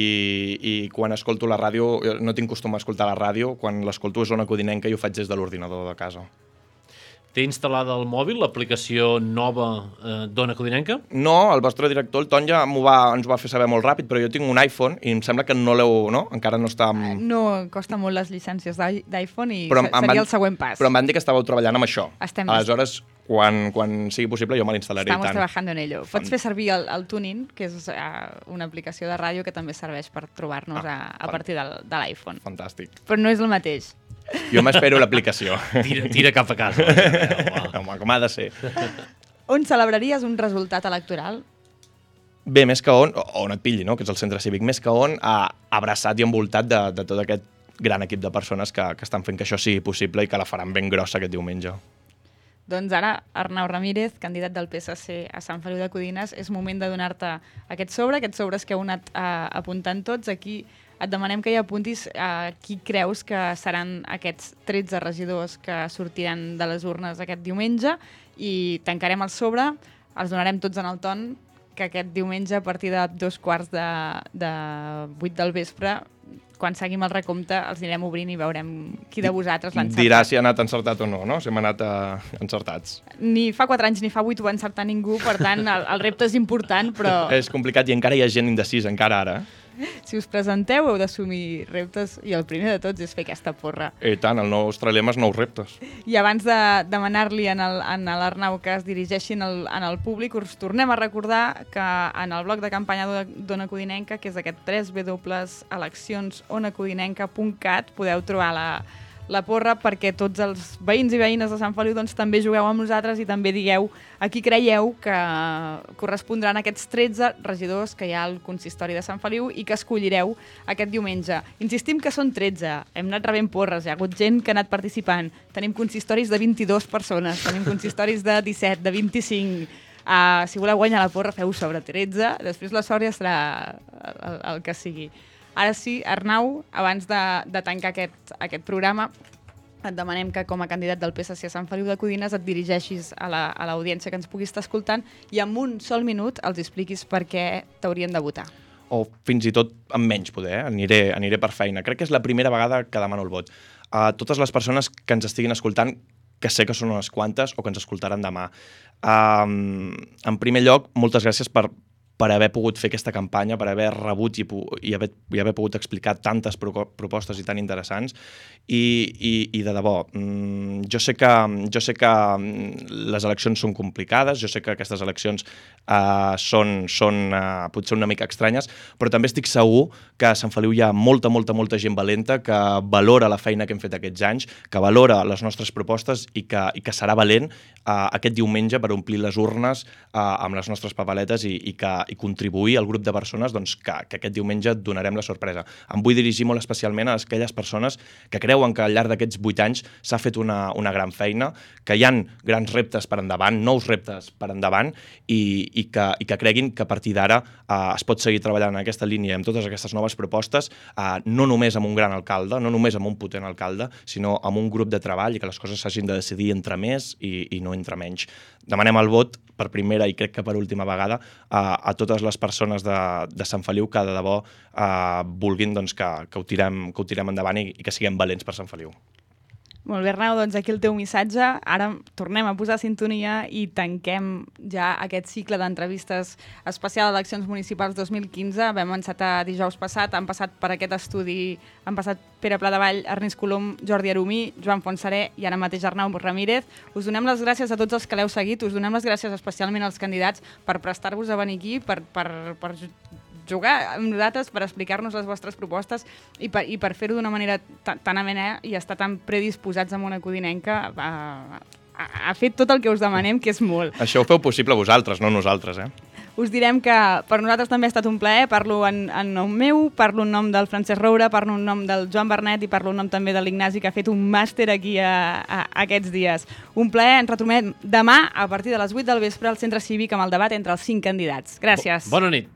i quan escolto la ràdio, no tinc costum a escoltar la ràdio, quan l'escolto és Ona Codinenca i ho faig des de l'ordinador de casa. Té instal·lada al mòbil l'aplicació nova eh, d'Ona Codinenca? No, el vostre director, el Ton, ja va, ens ho va fer saber molt ràpid, però jo tinc un iPhone i em sembla que no l'heu... No? Encara no està... Amb... No, costa molt les llicències d'i- d'iPhone i Però se- em seria van- el següent pas. Però em van dir que estàveu treballant amb això. Estem- Aleshores, quan, quan sigui possible, jo me l'instal·laré i Estamos tant. trabajando en ello. Pots fer servir el, el Tuning, que és uh, una aplicació de ràdio que també serveix per trobar-nos Ah, a, a partir del, de l'iPhone. Fantàstic. Però no és el mateix. Jo m'espero l'aplicació. Tira, tira cap a casa. Home. Home, com ha de ser. On celebraries un resultat electoral? Bé, més que on, o on et pilli, no? Que és el centre cívic, més que on, ha abraçat i envoltat de, de tot aquest gran equip de persones que, que estan fent que això sigui possible i que la faran ben grossa aquest diumenge. Doncs ara, Arnau Ramírez, candidat del P S C a Sant Feliu de Codines, és moment de donar-te aquest sobre, aquests sobres que heu anat uh, apuntant tots. Aquí et demanem que hi apuntis uh, qui creus que seran aquests tretze regidors que sortiran de les urnes aquest diumenge i tancarem el sobre, els donarem tots en el ton, que aquest diumenge a partir de dos quarts de, de vuit del vespre, quan seguim el recompte, els anirem obrint i veurem qui de vosaltres l'ha encertat. Dirà si ha anat encertat o no, no? Si hem anat uh, encertats. Ni fa quatre anys ni fa vuit ho va encertar ningú, per tant, el, el repte és important, però És complicat i encara hi ha gent indecisa, encara ara. si us presenteu heu d'assumir reptes i el primer de tots és fer aquesta porra. I tant, el nostre lema és nous reptes. I abans de demanar-li en el- en l'Arnau que es dirigeixin al, en el públic, us tornem a recordar que en el bloc de campanya d'Ona- d'Ona Codinenca, que és aquest w w w punt eleccions ona codinenca punt cat, podeu trobar la, la porra perquè tots els veïns i veïnes de Sant Feliu doncs, també jugueu amb nosaltres i també digueu a qui creieu que correspondran aquests tretze regidors que hi ha al consistori de Sant Feliu i que escollireu aquest diumenge. Insistim que són tretze, hem anat rebent porres, hi ha hagut gent que ha anat participant, tenim consistoris de vint-i-dues persones, tenim consistoris de disset, de vint-i-cinc, uh, si voleu guanyar la porra feu sobre tretze, després la sort ja serà el, el, el que sigui. Ara sí, Arnau, abans de, de tancar aquest, aquest programa, et demanem que com a candidat del P S C a Sant Feliu de Codines et dirigeixis a la- a l'audiència que ens pugui estar escoltant i en un sol minut els expliquis per què t'haurien de votar. O fins i tot amb menys poder, eh? aniré, aniré per feina. Crec que és la primera vegada que demano el vot. A totes les persones que ens estiguin escoltant, que sé que són unes quantes o que ens escoltaran demà. Um, en primer lloc, moltes gràcies per, per haver pogut fer aquesta campanya, per haver rebut i, pu- i, haver, i haver pogut explicar tantes pro propostes i tan interessants. I, i, i de debò, mm, jo sé que, jo sé que mm, les eleccions són complicades, jo sé que aquestes eleccions uh, són, són uh, potser una mica estranyes, però també estic segur que a Sant Feliu hi ha molta, molta, molta gent valenta que valora la feina que hem fet aquests anys, que valora les nostres propostes i que, i que serà valent uh, aquest diumenge per omplir les urnes uh, amb les nostres papeletes i, i, que, i contribuir al grup de persones doncs, que, que aquest diumenge donarem la sorpresa. Em vull dirigir molt especialment a aquelles persones que creuen que al llarg d'aquests vuit anys s'ha fet una, una gran feina, que hi han grans reptes per endavant, nous reptes per endavant i, i, que, i que creguin que a partir d'ara uh, es pot seguir treballant en aquesta línia amb totes aquestes noves propostes, uh, no només amb un gran alcalde, no només amb un potent alcalde, sinó amb un grup de treball i que les coses s'hagin de decidir entre més i, i no entre menys. Demanem el vot per primera i crec que per última vegada uh, a totes les persones de, de Sant Feliu que de debò uh, vulguin doncs, que, que, ho tirem, que ho tirem endavant i, i que siguem valents per Sant Feliu. Molt bé, Arnau, doncs aquí el teu missatge. Ara tornem a posar sintonia i tanquem ja aquest cicle d'entrevistes especial d'eleccions municipals dos mil quinze. Vam encetar dijous passat, han passat per aquest estudi, han passat Pere Pladevall, Ernest Colom, Jordi Arumí, Joan Fontserè i ara mateix Arnau Ramírez. Us donem les gràcies a tots els que l'heu seguit, us donem les gràcies especialment als candidats per prestar-vos a venir aquí, per, per, per jugar amb nosaltres, per explicar-nos les vostres propostes i per, i per fer-ho d'una manera tan amena i estar tan predisposats amb una codinenca a, a, a fer tot el que us demanem, que és molt. Això ho feu possible vosaltres, no nosaltres, eh? Us direm que per nosaltres també ha estat un plaer, parlo en, en nom meu, parlo en nom del Francesc Roure, parlo en nom del Joan Bernet i parlo en nom també de l'Ignasi, que ha fet un màster aquí a, a, a aquests dies. Un plaer, ens retrobem demà a partir de les vuit del vespre al Centre Cívic amb el debat entre els cinc candidats. Gràcies. Bona nit.